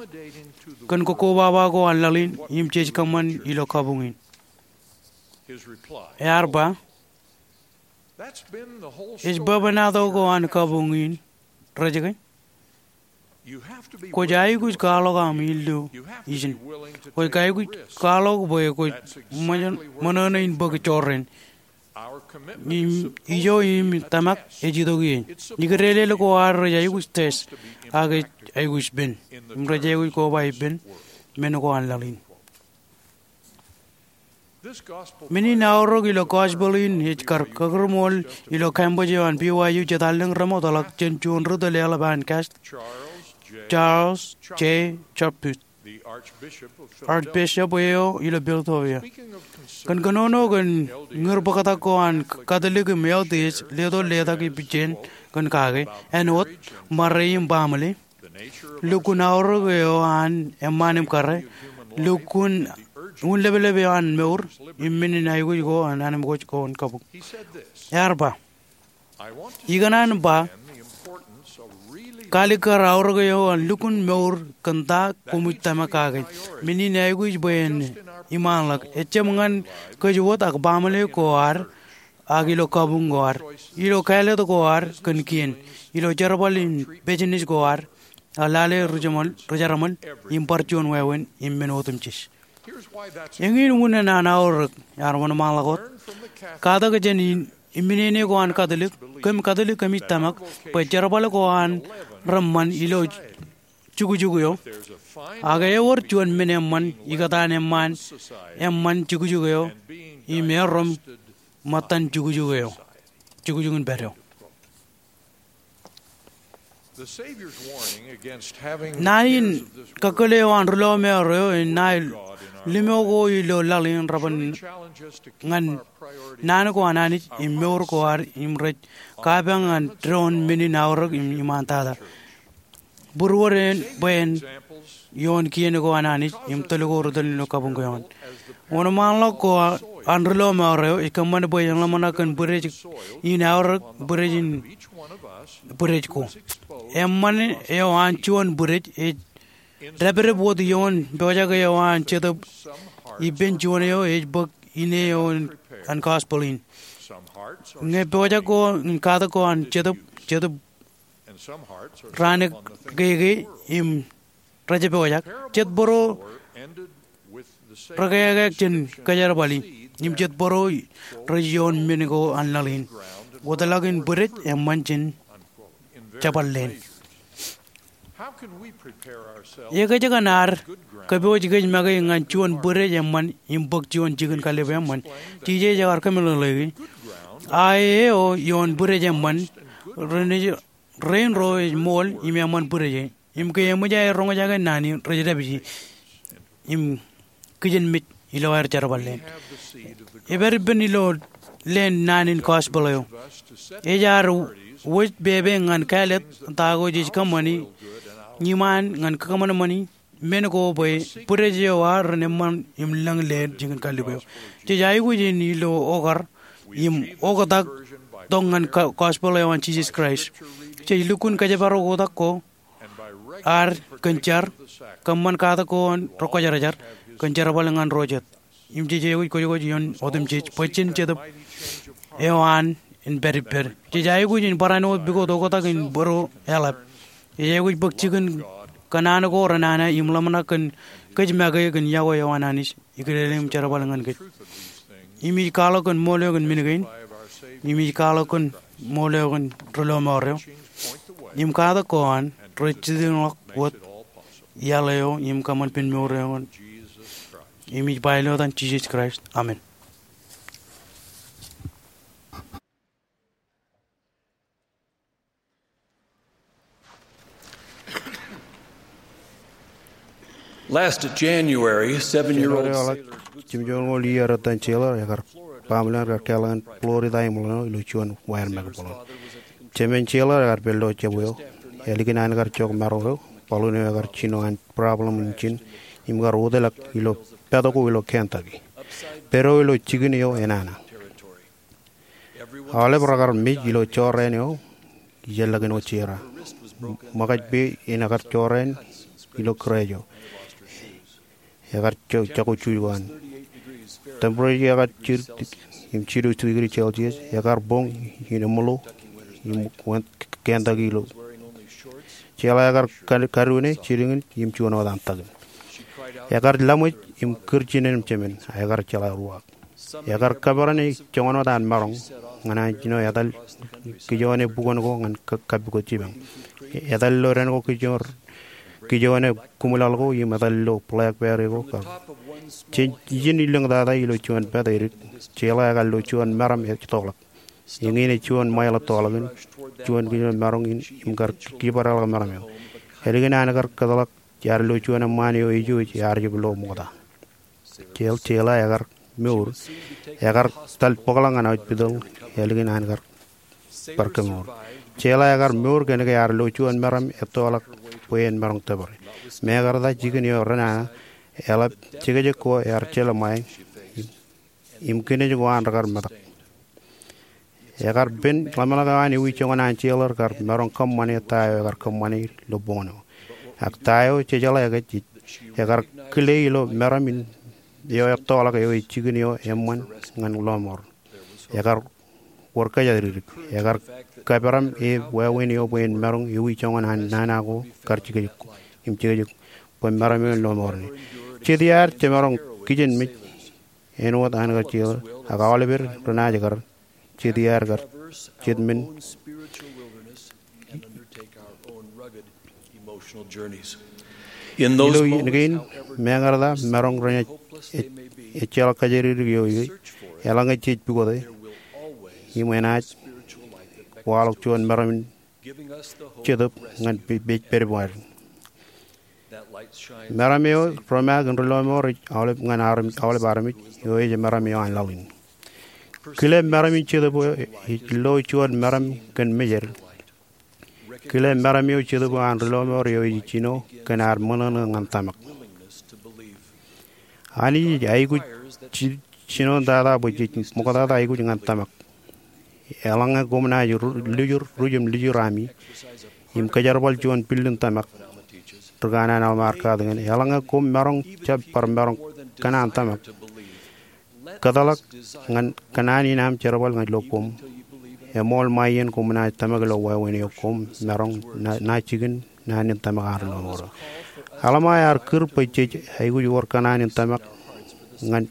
Kōn kokkobaba ko an laḷ in im jej kōṃṃan ilo kabuñ in. Ear ba, ej bwebwenato ko an kabuñ in, rej ke. Kwōj aikuj kwaḷọk aṃ illu ijin. Kwōj aikuj kwaḷọk bwe kwōj ṃōṇōṇō in bōk jorrāān. Im ijo im tōmak ej itok ie. Ikōtelel ko ad rej aikuj test, ak ej aikuj pen. Im rej aikuj koba ippān men ko an laḷ in. Men in aorōk ilo gospel in ej kar kakūrṃool ilo campus eo an B Y U jet allōñ remootḷọk jān juon ri tōl eḷap an Cast, Charles J. Chaput, Archbishop eo ilo Philadelphia. Kōn kōnono kōn ñūr bōktak ko an Katolik im L D S, leto letak ipijjien kōn kake, āinwōt, ṃare im baaṃle, lukkuun aorōk eo an eṃṃaan im kōrā, lukkuun unleplep eo an mour, im men in aikuj ko an anmikwōj ko an kabuñ. Ear ba, ikōṇaan ba, kalikkar aorōk eo an lukkuun mour kōn ta koṃij tōmak kake. Men in aikuj bwe en iṃaanḷọk. Ejjab ñan kōj wōt ak baaṃle ko ad, ak ilo kabuñ ko ad, ilo kāālōt ko ad kōn kien, ilo jerbal in business ko ad, ak lale ri jeṃḷ, ri jerbal, im bar juon wāween, im men otemjej. Eñin unin an aorōk, ear wōnṃaanḷọk wōt. Katak jān in, iminene ko an Katolik, kōm Katolik kōmij tōmak, bwe jerbal ko an reṃṃan ilo jukjuk eo. Ak ewōr juon men eṃṃan, ikōtaan eṃṃan, eṃṃan jukjuk eo, im erom ṃōttan jukjuk eo, jukjuk in pād eo. Naan in kakkōl eo an ri lọmọọr eo en naan limo ko ilo laḷ in reban ñan naan ko an Anij im mour ko ad im rej kapañ ñan doon men in aorōk im iṃaantata. Būruod en bwe en ioon kien ko an Anij im tōl ko ri tōl ilo kabuñ keoon. Wōnṃaanḷọk ko an ri lọmọọr eo ej kōṃṃan bwe en ḷōmṇak kōn bwidej in aorōk, bwidej in bwidej ko. Eṃṃan eo an juon bwidej ej dāpdep wōt ioon pojak eo an Jetōb ippān juon eo ej bōk ine eo an gospel in. Ñe pojak ko im katak ko an Jetōb, Jetōb raan ekkeke im rej pojak. Jet bōro rekākā jān kōjerbali. Im jet bōro rej ioon men ko an laḷ in. Wōtlọk in bwidej eṃṃan jān jabdewōt leen. Ekōjkan ad kōpooj kōj make ñan juon bwidej eṃṃan im bōk juon jikin kallib eṃṃan? Jisōs ekar kōmeḷeḷeiki, a eo ioon bwidej eṃṃan, renaaj rein ro ej ṃool im eṃṃan bwidej e. Im ke eṃōj aer roñjake naan in, rej dāpiji im kijenmej ilo aer jerbal leen. Epād ippān ilo leen naan in gospel eo. Ej ad wōj pepe ñan kāālōt ta ko jej kōṃṃani iṃaan ñan kōṃanṃani men ko bwe bwidej eo ad ren eṃṃan im lōñ leen jikin kallib eo. Jej aikuj in ilo okar im oktak tok ñan gospel eo an Jisōs Kraist. Jej lukkuun kōjparok oktak ko ad kōn jar, kōṃṃan katak ko an ri kwōjarjar, kōn jerbal ñan ro jet. Im jej aikuj kwōjkwōj ioon otemjej, bwe jen Jetōb eo an en pād ippād. Jej aikuj in barāinwōt pukot oktak in bōro eḷap. Jej aikuj bōk jikin kōṇaan ko renana im ḷōmṇak kōn kōj make kōn yokwe eo an Anij ikōtele im jerbal ñan kōj. Im ij kwaḷọk kōn ṃool eo kōn men kein. Im ij kwaḷọk kōn ṃool eo kōn ri lọmọọr eo. Im katak ko an rej jitōñḷọk wōt iaḷ eo im kōṃṃan pen mour eo. Im ij ba ilo etan Jisōs Kraist, amen. Last January, seven-year-old January eo ḷọk, jimjuon ñoul iiō etan Sailor ekar, baaṃle in ekar kālọk ñan Florida im ḷōṇō ilo juon wāween make būḷōn. Jemān Sailor ekar pād ilo jab eo, ālikin an kar jok maro eo, baḷuun eo ekar jino an problem engine, im kar wōtlọk ilo pād ko ilo Kentucky. Pād eo ilo jikin eo enana. Aolep rekar mej ilo jorrāān eo ijellọkin wōt jera. Ṃōkaj peiṃ in ekar jorrāān ilo kūrāj eo. Ekar jako juj ko an. Temperature eo ekar jidik im jilu degree Celsius. Ekar boñ in eṃṃool im wōn kōntak ilo. Jeḷā ekar kadu ṇe jilñin im juon wōt an takin. Ekar laṃōj im kūr jinen im jemān, ekar jeḷā ruwaak. Ekar kōperan joñan wōt an maroñ ñan an jino etal kijoone bukwōn ko ñan kappukot jipañ. Etal ilo dān ko kijoone, kijoone kūṃwilaḷ ko im etal ilo blackberry ko kab. Jen ijin ilōñ tata ilo juon pād edik, jeḷā ekar lo juon meram ettoḷọk. Eñin ej juon ṃail ettoḷọk in juon kijoone maroñ in im kar kibadḷọk meram eo. Ālikin an kar kōtḷọk ear lo juon eṃṃaan eo ej ijo ear jab lo ṃokta. Jeḷā, jeḷā ekar mour, ekar tal bōkḷọk ñan aujpitōḷ ālikin an kar bar kemour. Jeḷā ekar mour kōnke ear lo juon meram ettoḷọk bwe en maroñ tōpare. Mekarta jikin eo renana eḷap jekjek ko ear jelṃae im kinej ko an rekar metak. Ekar pen ḷōmṇak eo an ewi joñan an jeḷā kar maroñ kōṃṃane ta eo ekar kōṃṃane ilo boñōn eo. Ak ta eo jejeḷā ke ej, ekar kile ilo meram in eo ettoḷọk eo ej jikin eo eṃṃan ñan lọmọọr. Ekar wōr kōjatdikdik. Ekar kōperan e wāween eo bwe en maroñ ewi joñan an nana ko kar jekjek im jekjek bwe meram eo en lọmọọr ṇe. Jet iaad jemaroñ kijenmej āinwōt an kar jeḷā ak aolepen renaaj kar jet iaad kar jet men. Ilo in kein, mekarta maroñ renaaj ejjeḷọk kōjatdikdik eo ie, eḷaññe jej pukote im enaaj waḷọk juon meram in jetōb ñan pej pād ipwōd. Meram eo rej maroñ in ri lọmọọr ej aolep ñan armej, aolep armej eo ej meram eo an laḷ in. Kile meram in jetōb eo ej lo juon meram kōn mejed. Kile meram eo jetōb eo an ri lọmọọr eo ej jino kōn ad ṃōṇōṇō ñan tōmak. Anij ej aikuj jinoin tata bwe jej ṃoktata aikuj ñan tōmak. Eḷaññe koṃ naaj lujur, ruj im lujur ami im kōjerbal juon billin tōmak, ri kanaan Alma ear katakin, eḷaññe koṃ maroñ jab bar maroñ kōṇaan tōmak, kōtḷọk ñan kōṇaan in aṃ jerbal ñan ilo koṃ. Eṃool ṃae iien koṃ naaj tōmak ilo wāween eo koṃ maroñ ṇa jikin naan in tōmak an ri lọmọọr eo. Alma ear kūr bwe jej aikuj wōr kōṇaan in tōmak ñan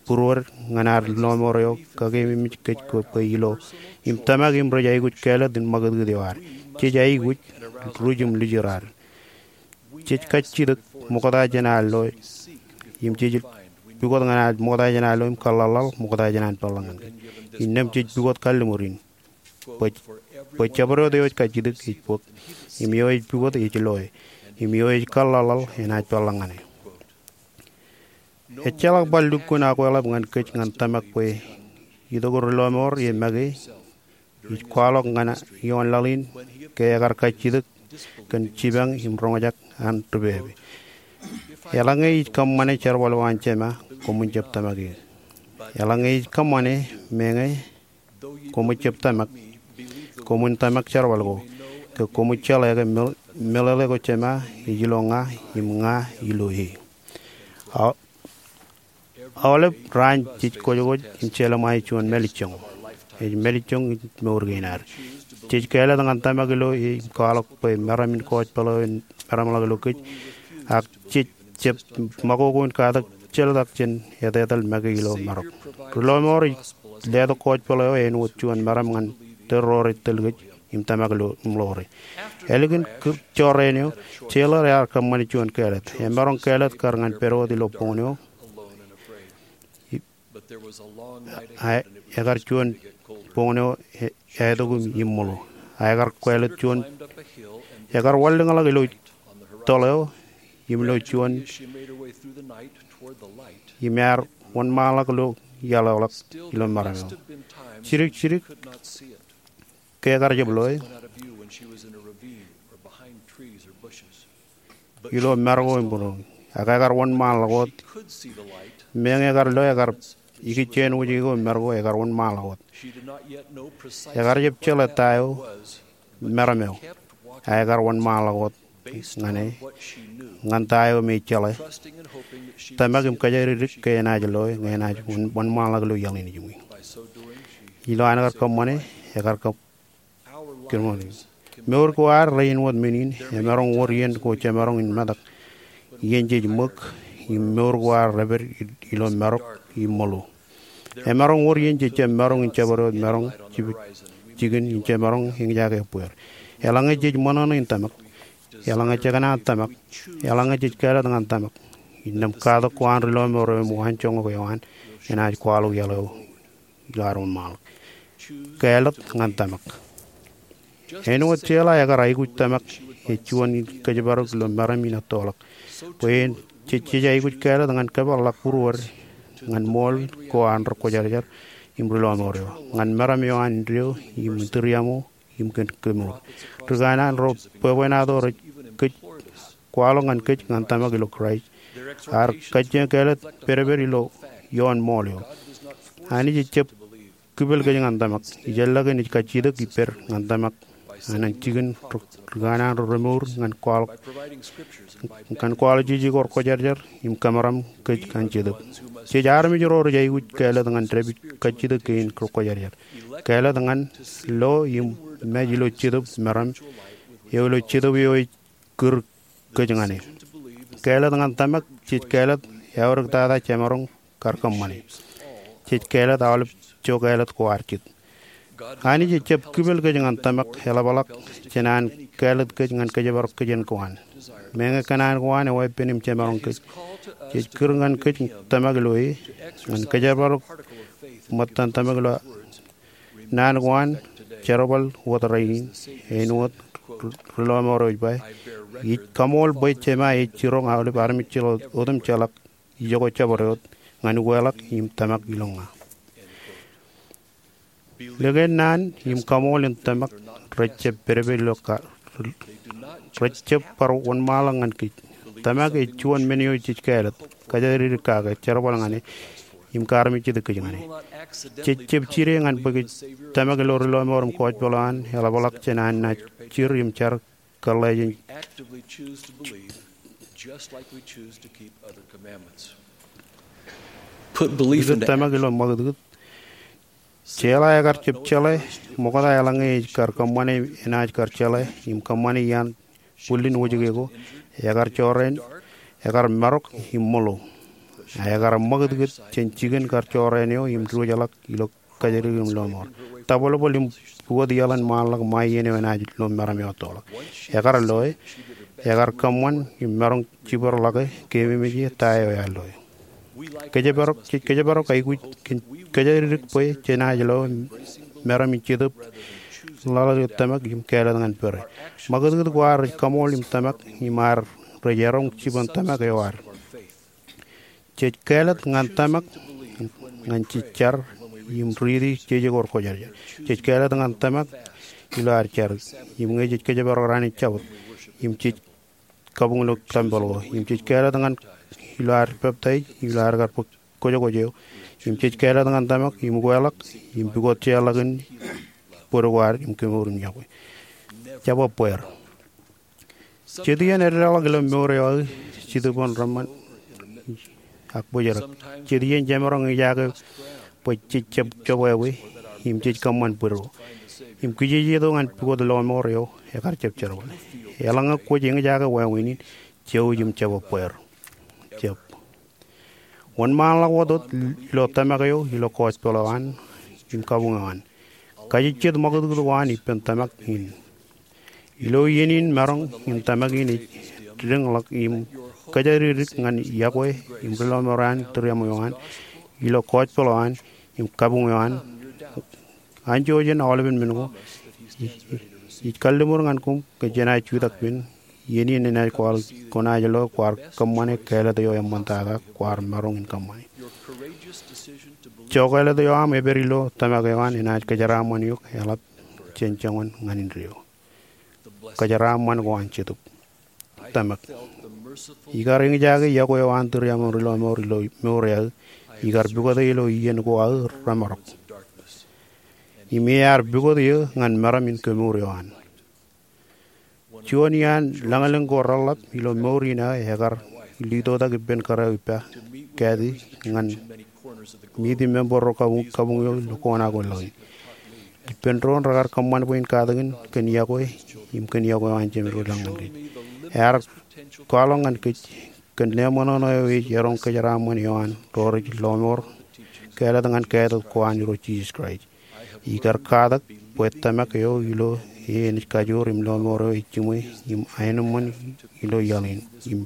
būruod ñan ad ri lọmọọr eo kakeememej kōj bwe ilo im tōmak im rej aikuj kāālōt in ṃakūtkūt eo ad. Jej aikuj ruj im lujur ad. Jej kajjitōk ṃokta jān ad loe im jej pukot ñan ad ṃokta jān ad loe im kōḷḷaḷḷaḷ ṃokta jān an peḷḷọk ñan kōj. Innām jej pukot kalliṃur in bwe, bwe jabdewōt eo ej kajjitōk ej bōk im eo ej pukot ej loe im eo ej kōḷḷaḷḷaḷ enaaj peḷḷọk ñan e. Ejjeḷọk bar lukkuun akweḷap ñan kōj ñan tōmak bwe itok ri lọmọọr e make ij kwaḷọk ñan ioon laḷ in ke ekar kajjitōk kōn jipañ im roñjake an ri pepe. Eḷaññe ij kōṃṃane jerbal eo an Jema, koṃwin jab tōmak eō. Eḷaññe ij kōṃṃane meñe koṃij jab tōmak, koṃwin tōmak jerbal ko, ke koṃij jeḷā ke meḷ-, meḷeḷe ko Jema ej ilo ña im ña ilo e. Aolep raan jej kōjkōj im jelṃae juon mālejjoñ. Ej mālejjoñ in mour kein ad. Jej kāālōt ñan tōmak ilo e im kwaḷọk bwe meram in kọọjpeḷ eo en meramḷọk ilo kōj. Ak jej jab ṃakoko in katak jeltak jān etetal make ilo marok. Ri lọmọọr ej letok kọọjpeḷ eo āinwōt juon meram ñan tōl ro rej tōl kōj im tōmak ilo im ḷoore. Ālikin jorrāān eo, Taylor ear kōṃṃane juon kāālōt. Emaroñ kāālōt kar ñan pād wōt ilo boñōn eo. Ekar juon boñōn eo eaetok im ṃōḷo. Ekar kāālōt juon, ekar wanlōñḷọk ilo toḷ eo im ilo juon im ear wōnṃaanḷọk ilo iaḷ eo ḷọk ilo meram eo. Jidik jidik ke ekar jab loe ilo mar ko im būruon, ak ekar wōnṃaanḷọk wōt. Meñe ekar loe, ekar ikijjien wōjke ko im marok eo ekar wōnṃaanḷọk wōt. Ekar jab jeḷā ta eo meram eo, a ekar wōnṃaanḷọk wōt ñan e ñan ta eo me ej jeḷā. Tōmak im kōjatdikdik ke enaaj loe ñe enaaj wōnṃaanḷọk ilo iaḷ in ijin. Ilo an kar kōṃṃane, ekar kō Mour ko ad rein wōt men in emaroñ wōr iien ko jemaroñ in metak, iien jej ṃōk, im mour ko ad repād ilo marok im ṃōḷo. Emaroñ wōr iien jej jab maroñ in jabdewōt maroñ jikin im jemaroñ eñjake ebbeer. Eḷaññe jej ṃōṇōṇō in tōmak, eḷaññe jekōṇaan tōmak, eḷaññe jej kāālōt ñan tōmak, innām katak ko an ri lọmọọr eo im waanjoñak eo an enaaj kwaḷọk iaḷ eo ilo ad wōnṃaanḷọk. Kāālōt ñan tōmak. Āinwōt Sheila ekar aikuj tōmak ej juon in kōjparok ilo meram in ettoḷọk, bwe en jej aikuj kāālōt ñan kōpeḷḷọk būruod ñan ṃool ko an ri kwōjarjar im ri lọmọọr eo, ñan meram eo an indeeo im tūriaṃo im kōn kemour. Ri kanaan ro bwebwenato rej kōj kwaḷọk ñan kōj ñan tōmak ilo Kraist. Ad kajjioñ kāālōt pedped ilo ioon ṃool eo. Anij ejjab kipel kōj ñan tōmak. Ijellọkin ej kajjitōk ippād ñan tōmak an jikin ri kanaan ro remour ñan kwaḷọk, ñan kwaḷọk jeje ko rekwōjarjar im kōmeram kōj ñan Jetōb. Jej armej ro rej aikuj kāālōt ñan dāpij kajjitōk kein rekwōjarjar. Kāālōt ñan lo im mej ilo Jetōb meram eo, ilo Jetōb eo ej kūr kōj ñan e. Kāālōt ñan tōmak. Jej kāālōt eaorōk tata jemaroñ kar kōṃṃane. Jej kāālōt aolep jokāālōt ko ad jet. Anij ejjab kipel kōj ñan tōmak eḷapḷọk jān an kāālōt kōj ñan kōjparok kōjien ko an. Meñe kōṇaan ko an eweeppān im jemaroñ kōj, jej kūr ñan kōj tōmak ilo e ñan kōjparok ṃōttan tōmak ilo naan ko an. Jerbal wōt rainin, āinwōt ri lọmọọr eo ej ba, ij kaṃool bwe Jema ej jiroñ aolep armej otemjeḷọk ijoko jabdewōt ñan ukeḷọk im tōmak ilo ña. Likin naan im kaṃool in tōmak rejjab pedped ilo ka, rejjab bar wōnṃaanḷọk ñan kōj. Tōmak ej juon men eo jej kāālōt, kōjatdikdik kake, jerbal ñan e, im kaarmejjitōk kōj ñan e. Jej jab jide ñan bwe kōj tōmak ilo ri lọmọọr im kōjpeḷ eo an eḷapḷọk jān an naaj jir im jar kōḷḷā jān. Put belief into tōmak ilo ṃakūtkūt. Sheila ekar jab jeḷā ṃokta eḷaññe ej kar kōṃṃane, enaaj kar jeḷā im kōṃṃane iaan bwillin wōjke ko, ekar jorrāān, ekar marok im ṃōḷo. A ekar ṃakūtkūt jān jikin kar jorrāān eo im diwōjḷọk ilo kōjatdikdik im lọmọọr. Tabwelbwel im pukot iaḷ in ṃaanḷọk ṃae iien eo enaaj lo meram eo ettoḷọk. Ekar loe, ekar kōṃṃan im maroñ jibadḷọke, keememej ie ta eo ear loe. Kōjparok, jej kōjparok aikuj kōn kōjatdikdik bwe jenaaj lo meram in Jetōb ḷọk ilo tōmak im kāālōt ñan pere. Ṃakūtkūt ko ad rej kaṃool im tōmak im ad rej eroñ jipañ tōmak eo ad. Jej kāālōt ñan tōmak ñan jej jar im riiti jeje ko rekwōjarjar. Jej kāālōt ñan tōmak ilo ad jar im ñe jej kōjparok raan in Jabōt im jej kabuñ ilo tempel ko im jej kāālōt ñan ilo ad peptaij im ilo ad kar bōk kwōjkwōj eo im jej kāālōt ñan tōmak im ukeḷọk im pukot jeorḷọk in bōd ko ad im kemour im iọkwe. Jab ebbeer. Jet iien edeḷọk ilo mour eo aō, jitōb in reṃṃan ak bōjrak. Jet iien jemaroñ eñjake bwe jej jab jobwābwe im jej kōṃṃan bōd ro im kijejeto ñan pukot lọmọọr eo ekar jab jerbal. Eḷaññe kwōj eñjake wāween in, jouj im jab ebbeer. Jab wōnṃaanḷọk wōt wōt ilo tōmak eo, ilo kōjpeḷ eo an im kabuñ eo an. Kajejjet ṃakūtkūt ko an ippān tōmak in. Ilo iien in maroñ in tōmak in ej diñḷọk im kōjatdikdik ñan iọkwe im ri lọmọọr an tūriaṃo eo an ilo kōjpeḷ eo an im kabuñ eo an. Anjọ jān aolepen men ko, ij kalliṃur ñan koṃ ke jenaaj jutak pen iien in enaaj kwaḷọk, kwōnaaj lo kwaar kōṃṃane kāālōt eo eṃṃantata kwaar maroñ in kōṃṃane. Jokāālōt eo aṃ epād ilo tōmak eo an enaaj kōjeraaṃṃan eok eḷap jān joñan ñan indeeo. Kōjeraaṃṃan ko an Jetōb. Tōmak. Ikar eñjake iọkwe eo an tūriaṃo ri lọmọọr ilo mour eo aō. ikar pukot e ilo iien ko aō remarok. Im ear pukot eō ñan meram in kemour eo an. Juon iaan lañlōñ ko reḷḷap ilo mour in aō ekar litotak ippān kōrā eo ippa, Kathy, ñan meet im member ro kabuñ, kabuñ eo ilo kōṇaan ko laḷ in. Ippān doon rekar kōṃṃan bwe in katakin kōn yokwe im kōn yokwe eo an Jemem ri lañ ñan kōj. Ear kwaḷọk ñan kōj kōn leṃōṇōṇō eo ej eroñ kōjeraaṃṃan eo an ro rej lọmọọr kāālōt ñan kāālōt ko an Irooj Jisōs Kraist. Ikar katak bwe tōmak eo ilo e enaaj kajoor im lọmọọr eo ej jiṃwe im aenōṃṃan ilo iaḷ in im,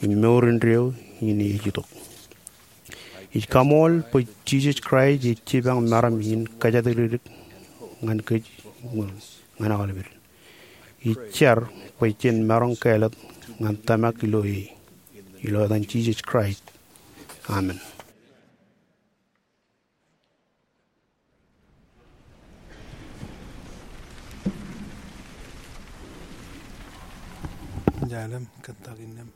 im mour indeeo in ej itok. Ij kaṃool bwe Jisōs Kraist ej jipañ meram in kōjatdikdik ñan kōj ñan aolepād. Ij jar bwe jen maroñ kāālōt ñan tōmak ilo e. Ilo etan Jisōs Kraist. Amen. Jalem, kōttak innām.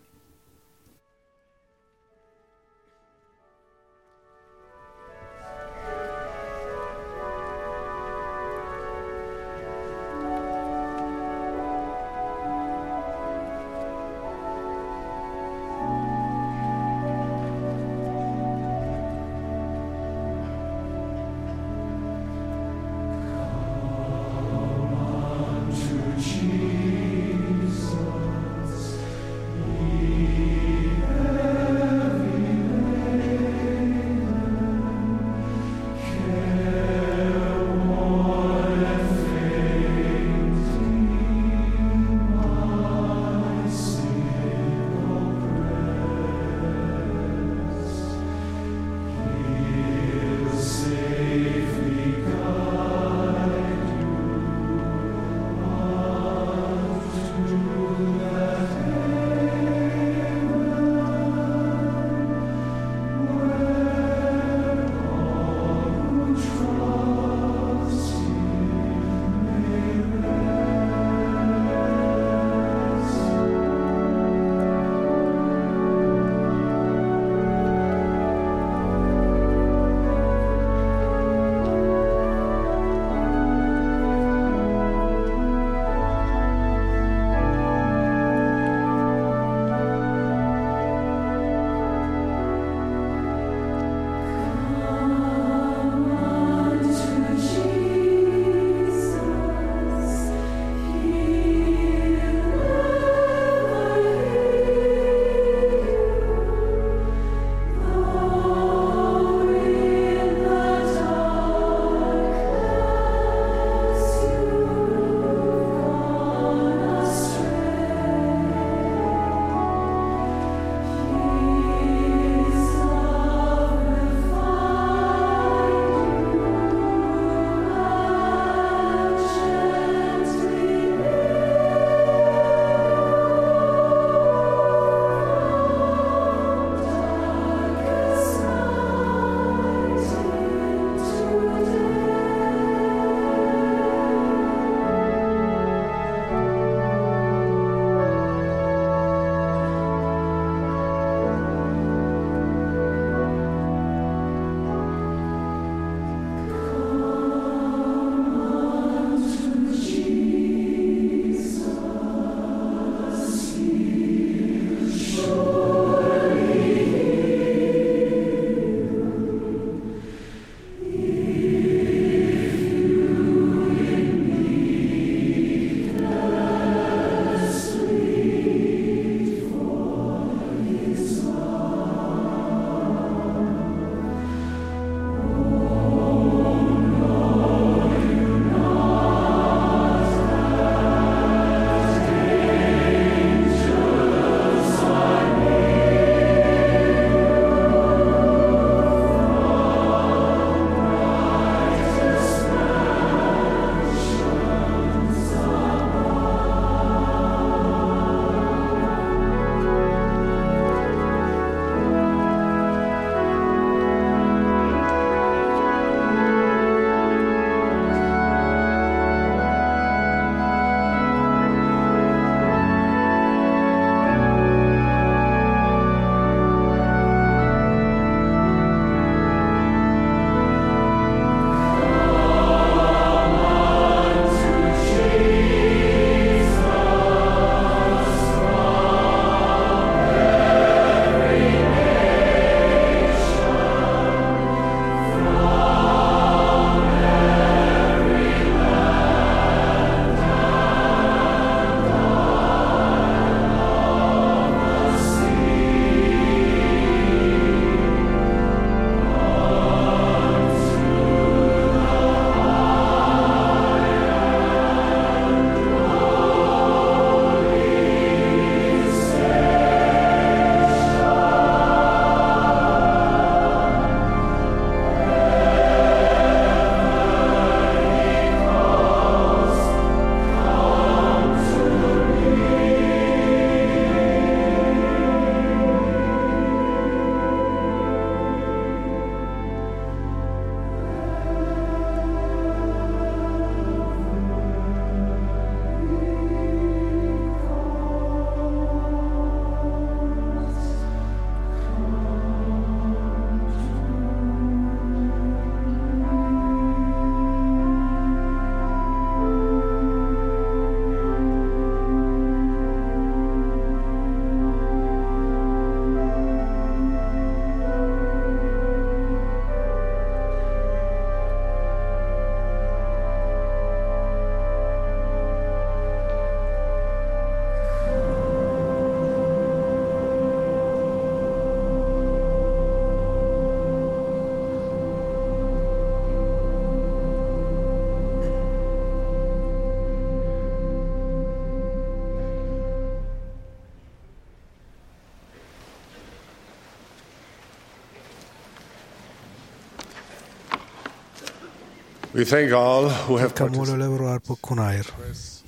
We thank all who have participated. Kaṃṃoolol ro raar bōk kuṇaer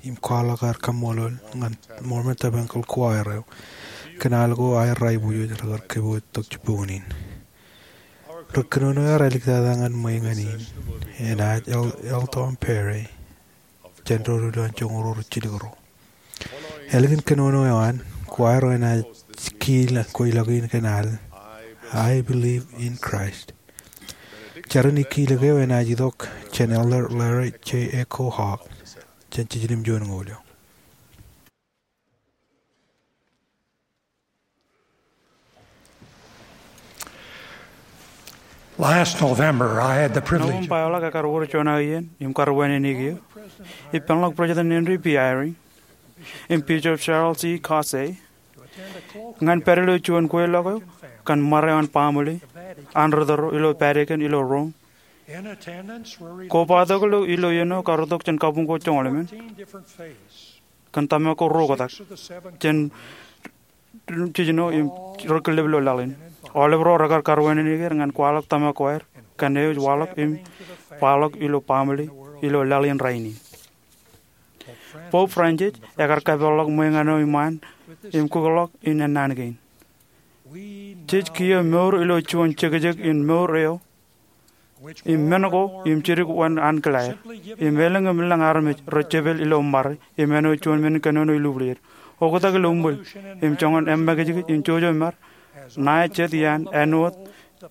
im kwaḷọk aer kaṃṃoolol ñan Mormon Tabernacle Choir eo kōn al ko aer aiboojoj rekar kōpooj tok jibboñōn in. Ri kōnono eo ear āliktata ñan ṃweiñān in enaaj El- Eldon Perry, jān ro ruo ilo an joñoul ruo ri jilkinro. Ālikin kōnono eo an, choir eo enaaj kiil kweilọk in kōn al I Believe in Christ. Jar in kiilōk eo enaaj itok jān Elder Larry J. Echo Hall jān jiljilimjuon ñoul eo. Last November, I had the privilege of Nōṃba eḷak ekar wōr juon aō iien im kar wānōk eō ippānḷọk President Henry B. Eyring im Bishop Charles E. Caussé ñan pād ilo juon kweilọk eo kōn ṃare eo an baaṃle an ri tōro ilo Vatican ilo Rome. Kobatok ilo iien eo kar itok jān kabuñ ko joñoul emān kōn tōmak ko ruo oktak jān jijino im ri killep ilo laḷ in. Aolep ro rekar kar wānōk er ñan kwaḷọk tōmak ko aer kōn eo ej waḷọk im baḷọk ilo baaṃle ilo laḷ in rainin. Pope Francis ekar kapeḷḷọk ṃweiñān eo iṃaan im kukḷọk in ennaan kein. Jej kiiō mour ilo juon jekjek in mour eo im men ko im jidik wōn ankilaer im elōñ im lōñ armej rej jepel ilo ṃare im āinwōt juon men in kōnono ilubwier. Oktak ilo ṃwil im joñan eṃṃakijkij in jojo mar, ṇae jet iaan āinwōt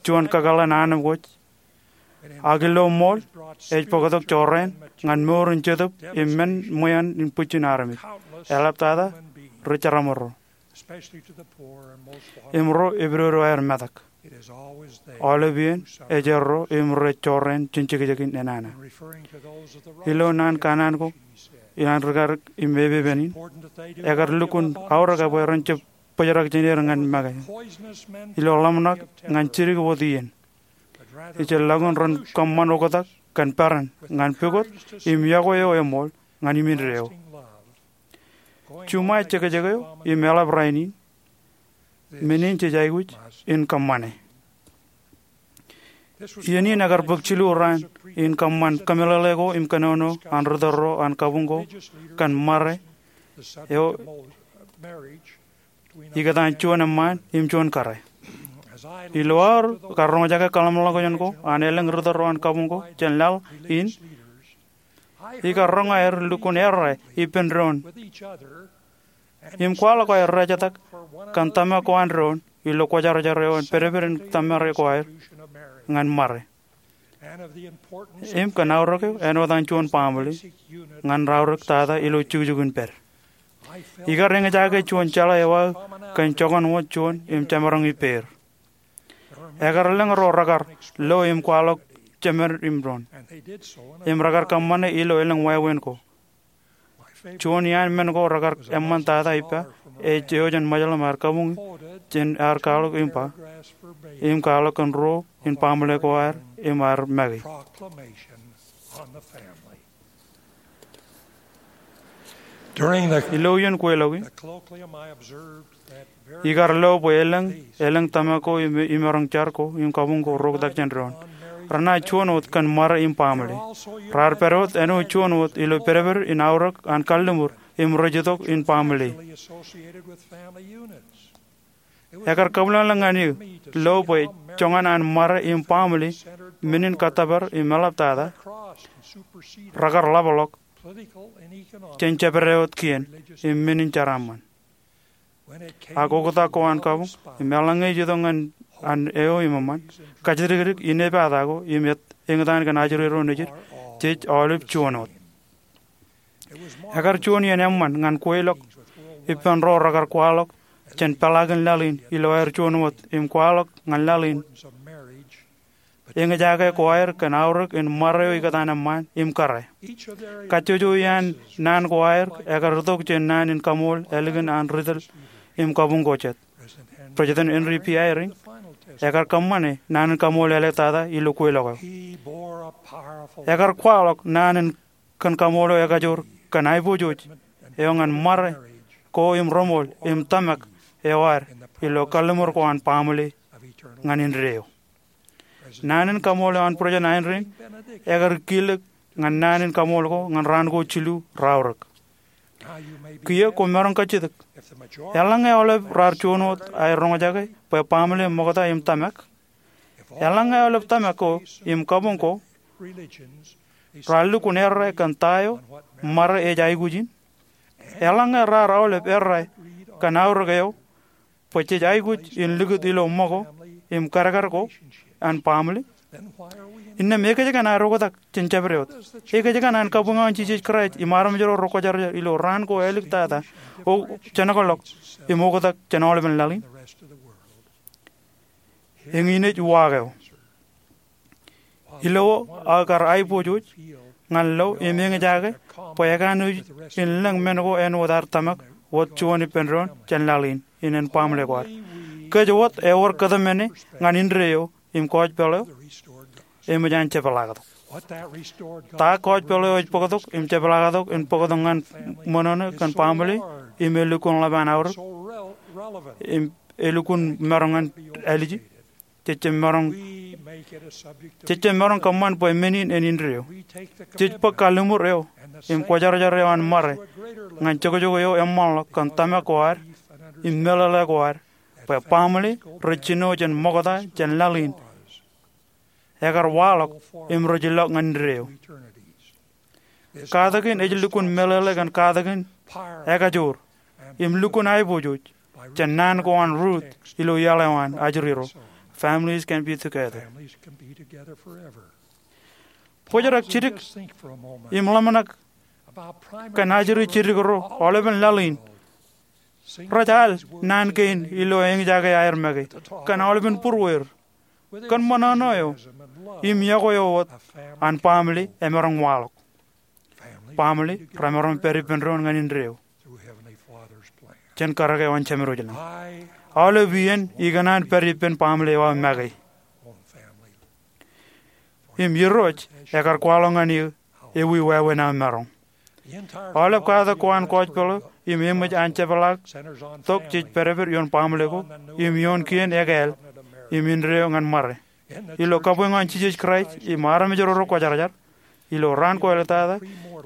juon kakōḷḷe in anemkwōj. Ak ilo ṃool ej bōktok jorrāān ñan mour in jetōb im men ṃweeṇ in bwijin armej. Eḷaptata ri jeraaṃro im ro epidodo aer metak. Aolep iien ej erro im rej jorrāān jān jekjek in enana. Ilo naan kanaan ko iaan ri karik im epepen in, ekar lukkuun aorōk bwe ren jab bōjrak jān er ñan make. Ilo ḷōmṇak ñan jidik wōt iien, ijellọkin ren kōṃṃan oktak kōn peran ñan pukot im iọkwe eo eṃool ñan imindeeo. Juṃae jekjek eo im eḷap rainin, men in jej aikuj in kōṃṃane. Iien in ekar bōk jilu raan in kōṃṃan kōmeḷeḷe ko im kōnono an ri tōro an kabuñ ko kōn ṃare eo ikōtaan juon eṃṃaan im juon kōrā. Ilo aō kar roñjake kōḷmānḷọkjeṇ ko an elōñ ri tōro an kabuñ ko jān laḷ in, ikar roñ aer lukkuun errā ippān doon im kwaḷọk aer rejetak kōn tōmak ko an doon ilo kwōjarjar eo an pedped in tōmare ko aer ñan ṃare im kōn aorōk eo āinwōt an juon baaṃle ñan raorōk tata ilo jukjuk in pād. Ikar eñjake juon jeḷā eo aō kōn jokwan wōt juon im jemaroñ ippāer. Ekar lōñ ro rekar lo im kwaḷọk jemed im doon im rekar kōṃṃane ilo elōñ wāween ko. Juon iaan men ko rekar eṃṃan tata ippa ej eo jān Ṃajeḷ im ar kabuñ jān ar kwaḷọk im ba im kwaḷọk kōn ruo in baaṃle ko aer im ar make. Ilo iien kweilọk in, ikar lo bwe elōñ, elōñ tōmak ko im, im maroñ jar ko im kabuñ ko rej oktak jān doon. Renaaj juon wōt kōn ṃare im baaṃle. Raar pād wōt āinwōt juon wōt ilo pedped in aorōk an kalliṃur im rej itok in baaṃle. Ekar kabwilōñlōñ ñan eō lo bwe joñan an ṃare im baaṃle, men in kōttōpar im eḷaptata, rekar ḷapḷọk jān jebede wōt kien im men in jeraaṃṃan. Ak oktak ko an kabuñ im eḷaññe ej itok ñan an eo im eṃṃan, kōjdikdik, inepata ko im eñtaan kōn ajri ro nejid, jej aolep juon wōt. Ekar juon iien eṃṃan ñan kweilọk ippān ro rekar kwaḷọk jān peḷaakin laḷ in ilo aer juon wōt im kwaḷọk ñan laḷ in eñjake ko aer kōn aorōk in ṃare eo ikōtaan eṃṃaan im kōrā. Kajjojo iaan naan ko aer ekar itok jān naan in kaṃool ālikin an ri tōl im kabuñ ko jet. President Henry B. Eyring ekar kōṃṃane naan in kaṃool eḷaptata ilo kweilọk eo. Ekar kwaḷọk naan in kōn kaṃool eo ekajoor kōn aiboojoj eo ñan ṃare ko im reṃool im tōmak eo ad ilo kalliṃur ko an baaṃle ñan indeeo. Naan in kaṃool eo an President Eyring ekar kilōk ñan naan in kaṃool ko ñan raan ko jilu raorōk. Kiiō kwōmaroñ kajjitōk. Eḷaññe aolep raar juon wōt aer roñjake bwe baaṃle, ṃokta im tōmak, eḷaññe aolep tōmak ko im kabuñ ko raar lukkuun errā kōn ta eo ṃare ej aikuj in, eḷaññe raar aolep errā kōn aorōk eo bwe jej aikuj in likūt ilo ṃōko im kadkad ko an baaṃle, innām ekōjkan aer oktak jān jabdewōt? Ekōjkan an kabuñ eo an Jisōs Kraist im armej ro rekwōjarjar ilo raan ko āliktata, o, jānkōḷọk, im oktak jān aolepen laḷ in? Eñin ej uwaak eo. Ilo aō kar aiboojoj ñan lo im eñjake bwe ekanooj in lōñ men ko āinwōt ad tōmak wōt juon ippān doon jān laḷ in, in en baaṃle ko ad. Kōj wōt ewōr kōtmāne ñan indeeo im kọọjpeḷ eo eṃōj an jepḷaaktok. Ta kọọjpeḷ eo ej bōktok im jepḷaaktok in bōktok ñan ṃōṇōṇō kōn baaṃle im elukkuun ḷap an aorōk im elukkuun maroñ ñan āliji? Jej jab maroñ, jej jab maroñ kōṃṃan bwe men in en indeeo. Jej bōk kalliṃur eo im kwōjarjar eo an ṃare ñan jokjok eo eṃṃanḷọk kōn tōmak ko ad im meḷeḷe ko ad bwe baaṃle rej jino jān ṃokta jān laḷ in ekar waḷọk im rej ilọk ñan indeeo. Katak in ej lukkuun meḷeḷe kōn katak in ekajoor im lukkuun aiboojoj jān naan ko an Ruth ilo iaḷ eo an ajri ro, Families can be together. Bōjrak jidik im ḷōmṇak kōn ajri jidik ro aolepen laḷ in. Rej al naan kein ilo eñjake aer make kōn aolepen būrueir, kōn ṃōṇōṇō eo im iọkwe eo wōt an baaṃle emaroñ waḷọk. Baaṃle remaroñ pād ippān doon ñan indeeo jān karōk eo an Jemedwōj lañ. Aolep iien ikōṇaan pād ippān baaṃle eo aō make im Irooj ekar kwaḷọk ñan eō ewi wāween aō maroñ. Aolep katak ko an kọọjpeḷ eo im eṃōj an jepḷaaktok jej pād ippān ioon baaṃle ko im ioon kien ekāāl im indeeo ñan ṃare. Ilo kabuñ eo an Jisōs Kraist im armej ro rekwōjarjar, ilo raan ko āliktata,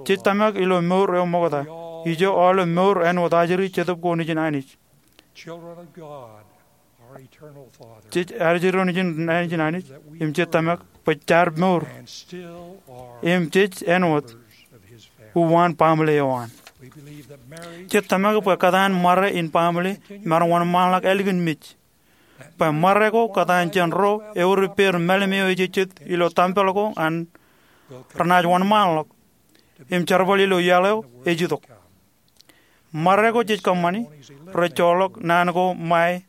jej tōmak ilo mour eo ṃokta. Ijo aolep mour āinwōt ajri Jetōb ko nejin Anij. Jej ajri ro nejin, nejin Anij, im jej tōmak bwe jaar mour im jej āinwōt uwaan baaṃle eo an. Jej tōmak bwe kōtaan ṃare in baaṃle emaroñ wōnṃaanḷọk ālikin mej, bwe ṃare ko kōtaan jān ro ewōr ippāer mālim eo ejejjet ilo tempel ko an renaaj wōnṃaanḷọk im jerbal ilo iaḷ eo ej itok. Ṃare ko jej kōṃṃani rej joḷọk naan ko ṃae,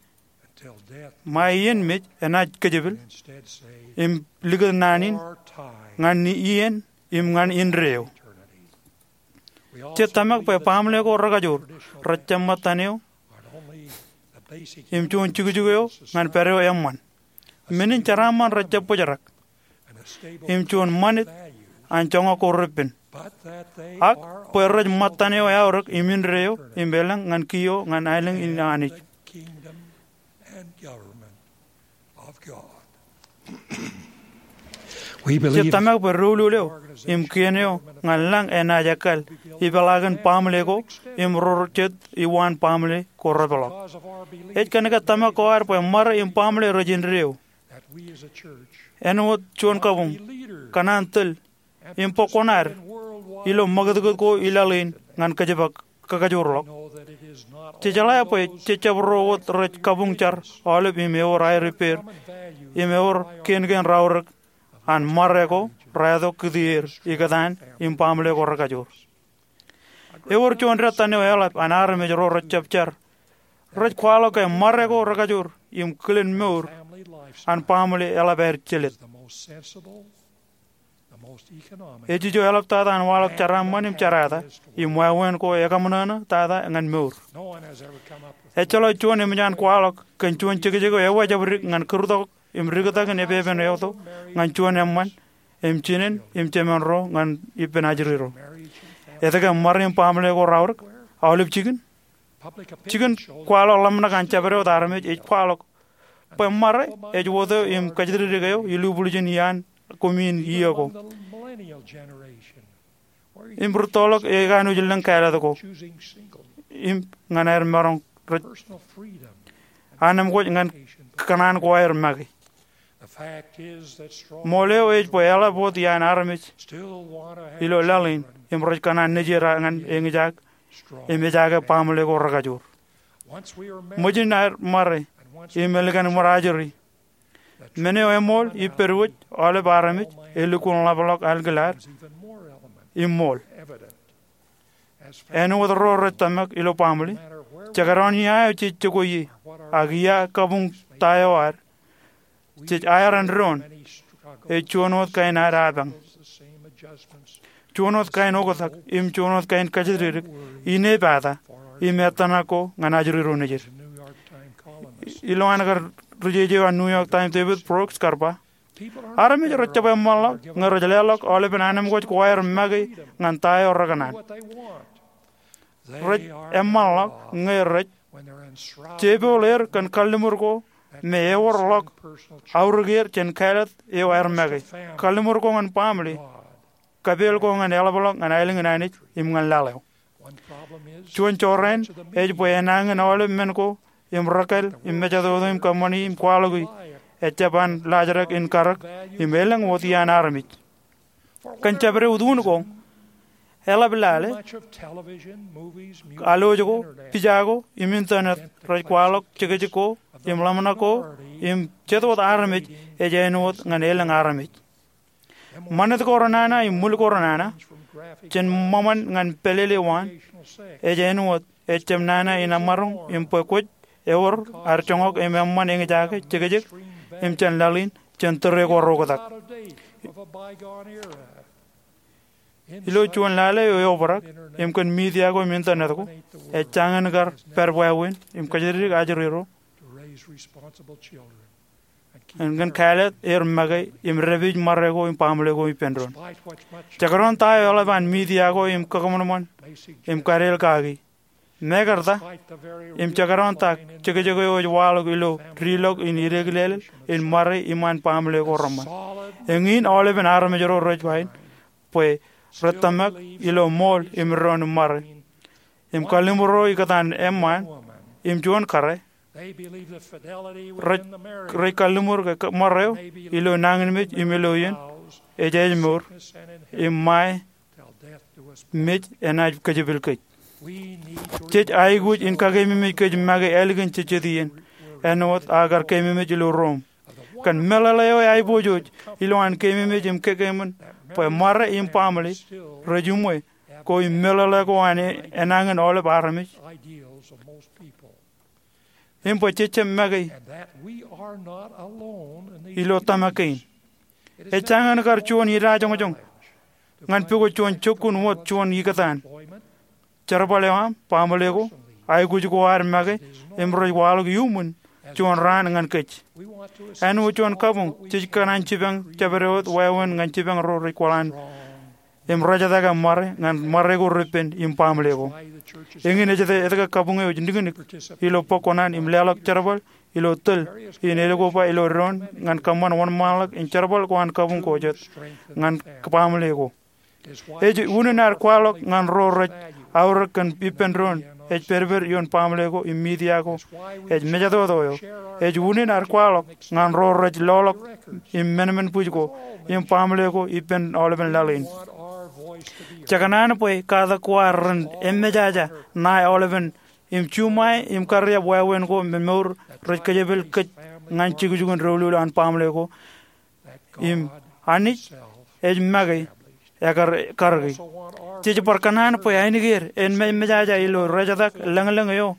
ṃae iien mej enaaj kōjepel im likūt naan in ñan iien im ñan indeeo. Jej tōmak bwe baaṃle ko rekajoor rejjab ṃōttan eo im juon jukjuk eo ñan pād eo eṃṃan. Men in jeraaṃṃan rejjab bōjrak im juon ṃanit an joñak ko repen, ak bwe rej ṃōttan eo eaorōk im indeeo im elōñ ñan kiiō ñan aelōñ in Anij. Jej tōmak bwe doulul eo im kien eo ñan lañ enaaj ekkal ipeḷaakin baaṃle ko im ro jet uwaan baaṃle ko repeḷọk. Ej kōnke tōmak ko ad bwe ṃare im baaṃle rej indeeo, āinwōt juon kabuñ, kōṇaan tōl im bōk kuṇaad ilo ṃakūtkūt ko ilaḷ in ñan kōjparok kakajoorḷọk. Jej jeḷā bwe jejjab ro wōt rej kabuñ jar aolep im ewōr aer ippāer im ewōr kien kein raorōk an ṃare ko raetok kūtier ikōtaan im baaṃle ko rekajoor. Ewōr juon dettan eo eḷap an armej ro rejjab jar rej kwaḷọk ke ṃare ko rekajoor im kilen mour an baaṃle eḷap aer jelōt. Ej ijo eḷaptata an waḷọk jeraaṃṃan im jerata im wāween ko ekaṃōṇōṇō tata ñan mour. Ejjeḷọk juon eṃōj an kwaḷọk kōn juon jekjek eo ewōr jabdewōt ñan kūrtok im diktakin epepen eoto ñan juon eṃṃan im jinen im jemān ro ñan ippān ajri ro. Etke ṃare im baaṃle ko raorōk? Aolep jikin. Jikin kwaḷọk ḷōmṇak an jabdewōt armej ej kwaḷọk bwe ṃare ej wōt eo im kōjatdikdik eo ilubwiljin iaan koṃ in iiō ko. Im rūttoḷọk ekanooj lōñ kāālōt ko im ñan aer maroñ rej anemkwōj ñan kōṇaan ko aer make. Ṃool eo ej bwe eḷap wōt iaan armej ilo laḷ in im rej kōṇaan nejier ñan eñjake im ejaake baaṃle ko rekajoor. Ṃōjin aer ṃare im ālikin ṃōrajri, men eo eṃool ippād wōj aolep armej elukkuun ḷapḷọk alkilaad im ṃool. Āinwōt ro rej tōmak ilo baaṃle, jekdọọn ia eo jej jokwe ie ak ia kabuñ ta eo ad, jej aer āindoon, ej juon wōt kain ad apañ, juon wōt kain oktak im juon wōt kain kōjatdikdik inepata im ettōṇak ko ñan ajri ro nejier. Ilowaan kar ri-jeje eo an New York Times, David Brooks, kar ba, armej rej jab eṃṃanḷọk ñe rej leḷọk aolepen anemkwōj ko aer make ñan ta eo rekōṇaan. Rej eṃṃanḷọk ñe rej jepool er kōn kalliṃur ko me ewōr ḷọk aorōk er jān kāālōt eo aer make, kalliṃur ko ñan baaṃle, kapeel ko ñan eḷapḷọk ñan aelōñ in Anij im ñan laḷ eo. Juon jorrāān ej bwe enañin aolep men ko im rōkāāl im mejatoto im kōṃṃani im kwaḷọki ejjab an laajrak in karōk im elōñ wōt iaan armej. Kōn jabdewōt un ko, eḷap lale, alwōj ko, pija ko im internet rej kwaḷọk jekjek ko im ḷōmṇak ko im jet wōt armej ej āinwōt ñan elōñ armej. Ṃanit ko renana im ṃwil ko renana, jān ṃōṃan ñan pālele waan, ej āinwōt ejjab nana in emaroñ im bwe kwōj ewōr ad joñak im eṃṃan eñjake jekjek im jān laḷ in jān tōre ko reoktak. Ilo juon lale eo eobrak im kōn media ko im internet ko, ej jañin kar pād wāween im kōjatdikdik ajri ro im kōn kāālōt er make im dāpij ṃare ko im baaṃle ko ippān doon. Jekdọọn ta eo eḷap an media ko im kōṃanṃan im kadeel kaki, mekarta, im jekdọọn ta jekjek eo ej waḷọk ilo diḷọk in ideklelel in ṃare iṃaan baaṃle ko reṃṃan, eñin aolepen armej ro rej ba in bwe rej tōmak ilo ṃool im doon im ṃare im kalliṃur ro ikōtaan eṃṃaan im juon kōrā, rej, rej kalliṃur ke ṃare eo ilo nañinmej im ilo iien ej ājmour im ṃae mej enaaj kōjepel kōj. Jej aikuj in kakeememej kōj make ālikin jejjet iien āinwōt aō kar keememej ilo Rom. Kōn meḷeḷe eo eaiboojoj ilowaan keememej im kekeememej bwe ṃare im baaṃle rej uṃwe ko im meḷeḷe ko an enañin aolep armej. Im bwe jejjab make ilo tōmak kein. Ej jañin kar juon idajoñjoñ ñan pukot juon jokkun wōt juon ikōtaan. Jerbal eo aṃ, baaṃle ko, aikuj ko ad make im rej waḷọk iuṃwin juon raan ñan kōj. Āinwōt juon kabuñ, jej kōṇaan jipañ jabdewōt wāween ñan jipañ ro rej kwaḷọk im rejatake ṃare ñan ṃare ko repen im baaṃle ko. Eñin ej etke kabuñ eo ej niknik ilo bōk kuṇaan im leḷọk jerbal ilo tōl in elukkuun ba ilo doon ñan kōṃṃan wōnṃaanḷọk in jerbal ko an kabuñ ko jet ñan baaṃle ko. Ej unin ad kwaḷọk ñan ro rej aorōk kōn ippān doon ej pedped ioon baaṃle ko im media ko ej mejatoto eo. Ej unin ad kwaḷọk ñan ro rej loḷọk im menmenbwij ko im baaṃle ko ippān aolepen laḷ in. Jekōṇaan bwe katak ko ad ren emejaja ṇae aolepen im juṃae im kariab wāween ko me mour rej kōjepel kōj ñan jukjukin doulul an baaṃle ko im Anij ej make ekar karōki. Jej bar kōṇaan bwe ainikien en memejaja ilo rejtak lōñlōñ eo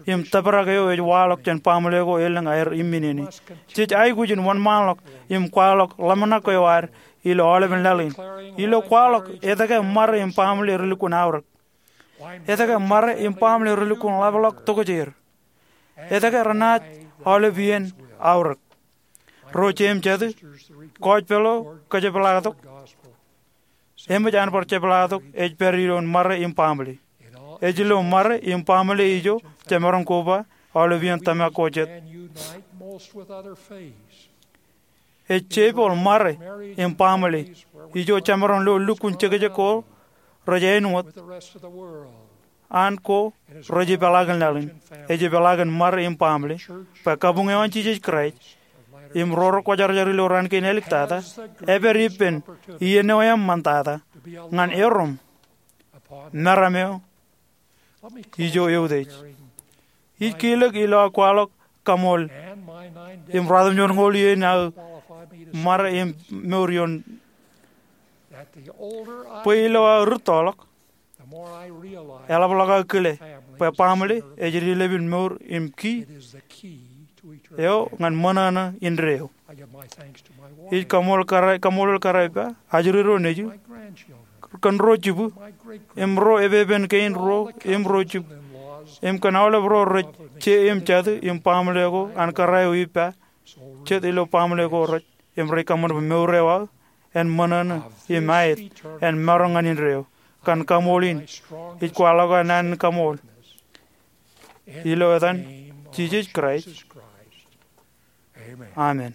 im tōprak eo ej waḷọk jān baaṃle ko elōñ aer imminene. Jej aikuj in wōnṃaanḷọk im kwaḷọk ḷōmṇak eo ad ilo aolepen laḷ in ilo kwaḷọk etke ṃare im baaṃle relukkuun aorōk, etke ṃare im baaṃle relukkuun ḷapḷọk tokjāer, etke renaaj aolep iien aorōk. Ro jeiū im jatū, gospel eo kōjepḷaaktok, eṃōj an bar jepḷaaktok ej pād ilo ṃare im baaṃle. Ej ilo ṃare im baaṃle ijo jemaroñ koba aolep iien tōmak ko jet. Ej jepel ṃare im baaṃle ijo jemaroñ lo lukkuun jekjek ko rej āinwōt an ko rej ipeḷaakin laḷ in. Ej ipeḷaakin ṃare im baaṃle bwe kabuñ eo an Jisōs Kraist im ro rekwōjarjar ilo raan kein āliktata epād ippān iien eo eṃṃantata ñan erom meram eo ijo eutiej. Ij kilōk ilo aō kwaḷọk kaṃool im ruatimjuonñoul iien aō ṃare im mour ioon, bwe ilo aō rūttoḷọk, eḷapḷọk aō kile bwe baaṃle ej dilepin mour im ki eo ñan ṃōṇōṇō indeeo. Ij kaṃool kōrā, kaṃoolol kōrā ippa, ajri ro nejū, kōn ro jibū, im ro epepen kein ro im ro jibū, im kōn aolep ro rej je im jatū im baaṃle ko an kōrā eo ippa jet ilo baaṃle ko rej, im rej kaṃṃan bwe mour eo aō en ṃōṇōṇō im aet en maroñ ñan indeeo. Kōn kaṃool in ij kwaḷọk aō naan in kaṃool ilo etan Jisōs Kraist. Amen.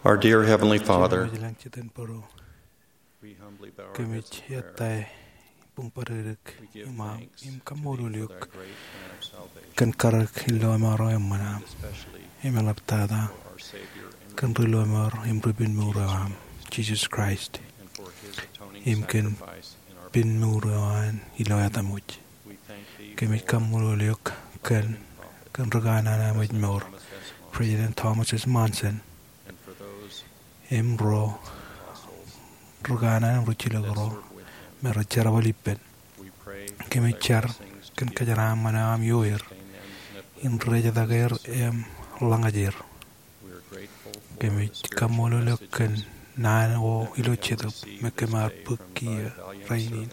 Our dear Heavenly Father, Jemem ilañ jitōnbōro, we humbly bow our kōmij heads of prayer. Ettā buñbōdikdik We give im aṃ thanks im to thee kaṃṃoolol for eok thy great plan of salvation, kōn karōk in lọmọọr eo eṃṃan aṃ, especially im eḷaptata for our Savior and kōn ri lọmọọr im ri pinmour eo aṃ, Jesus Christ, and for his atoning im kōn sacrifice in our place. Pinmour eo an ilo etaṃwōj. We thank thee Kōmij for kaṃṃoolol eok kōn, kōn ri kanaan am ej mour, President Thomas S. Monson, im ro ri kanaan im ri jilkinro me rej jerbal ippān. Kōmij jar kōn kōjeraaṃṃan eo aṃ ioer in rejetak er im ḷōñaj er. Kōmij kaṃṃoolol eok kōn naan ko ilo Jetōb me kōm ar bōk kiiō rainin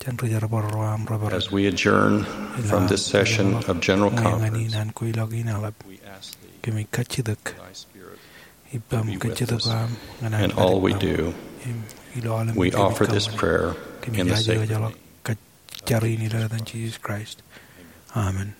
jān ri jerbal ro aṃ rej pād. As we adjourn from this session of General Conference, ñan in an kweilọk in aḷap, kōmij kajjitōk ippaṃ kajjitōk eo aṃ ñan all we do, im ilo aolep we offer this prayer in the sacred name. Kōmij jar in ilo etan Jesus Christ. Amen.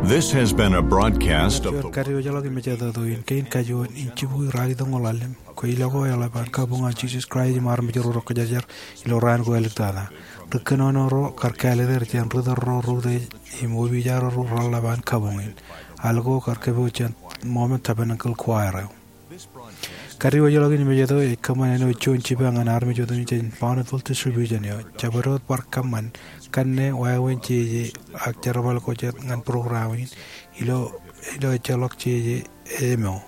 This has been a broadcast of the Juon kadiwōjḷọk im ejeḷā tok in kein kajuon in jibukwi ralitōñoul ḷalem. Kweilọk eo eḷap an kabuñ an Jesus Christ im armej ro rej kōjarjar ilo raan ko āliktata. Ri kōnono ro kar kāālōt er jān ri tōl ro rej utiej im opiij ro reḷḷap an kabuñ in. Al ko kar kōpooj jān Mormon Tabernacle Choir eo. Kadiwōjḷọk in mejeto ej kōṃṃan āinwōt juon jipañ ñan armej otemjej jān Bonneville Distribution eo. Jabdewōt bar kōṃṃan kanne wāween jeje ak jerbal ko jet ñan program in ilo, ilo ejjeḷọk jeje eo emo.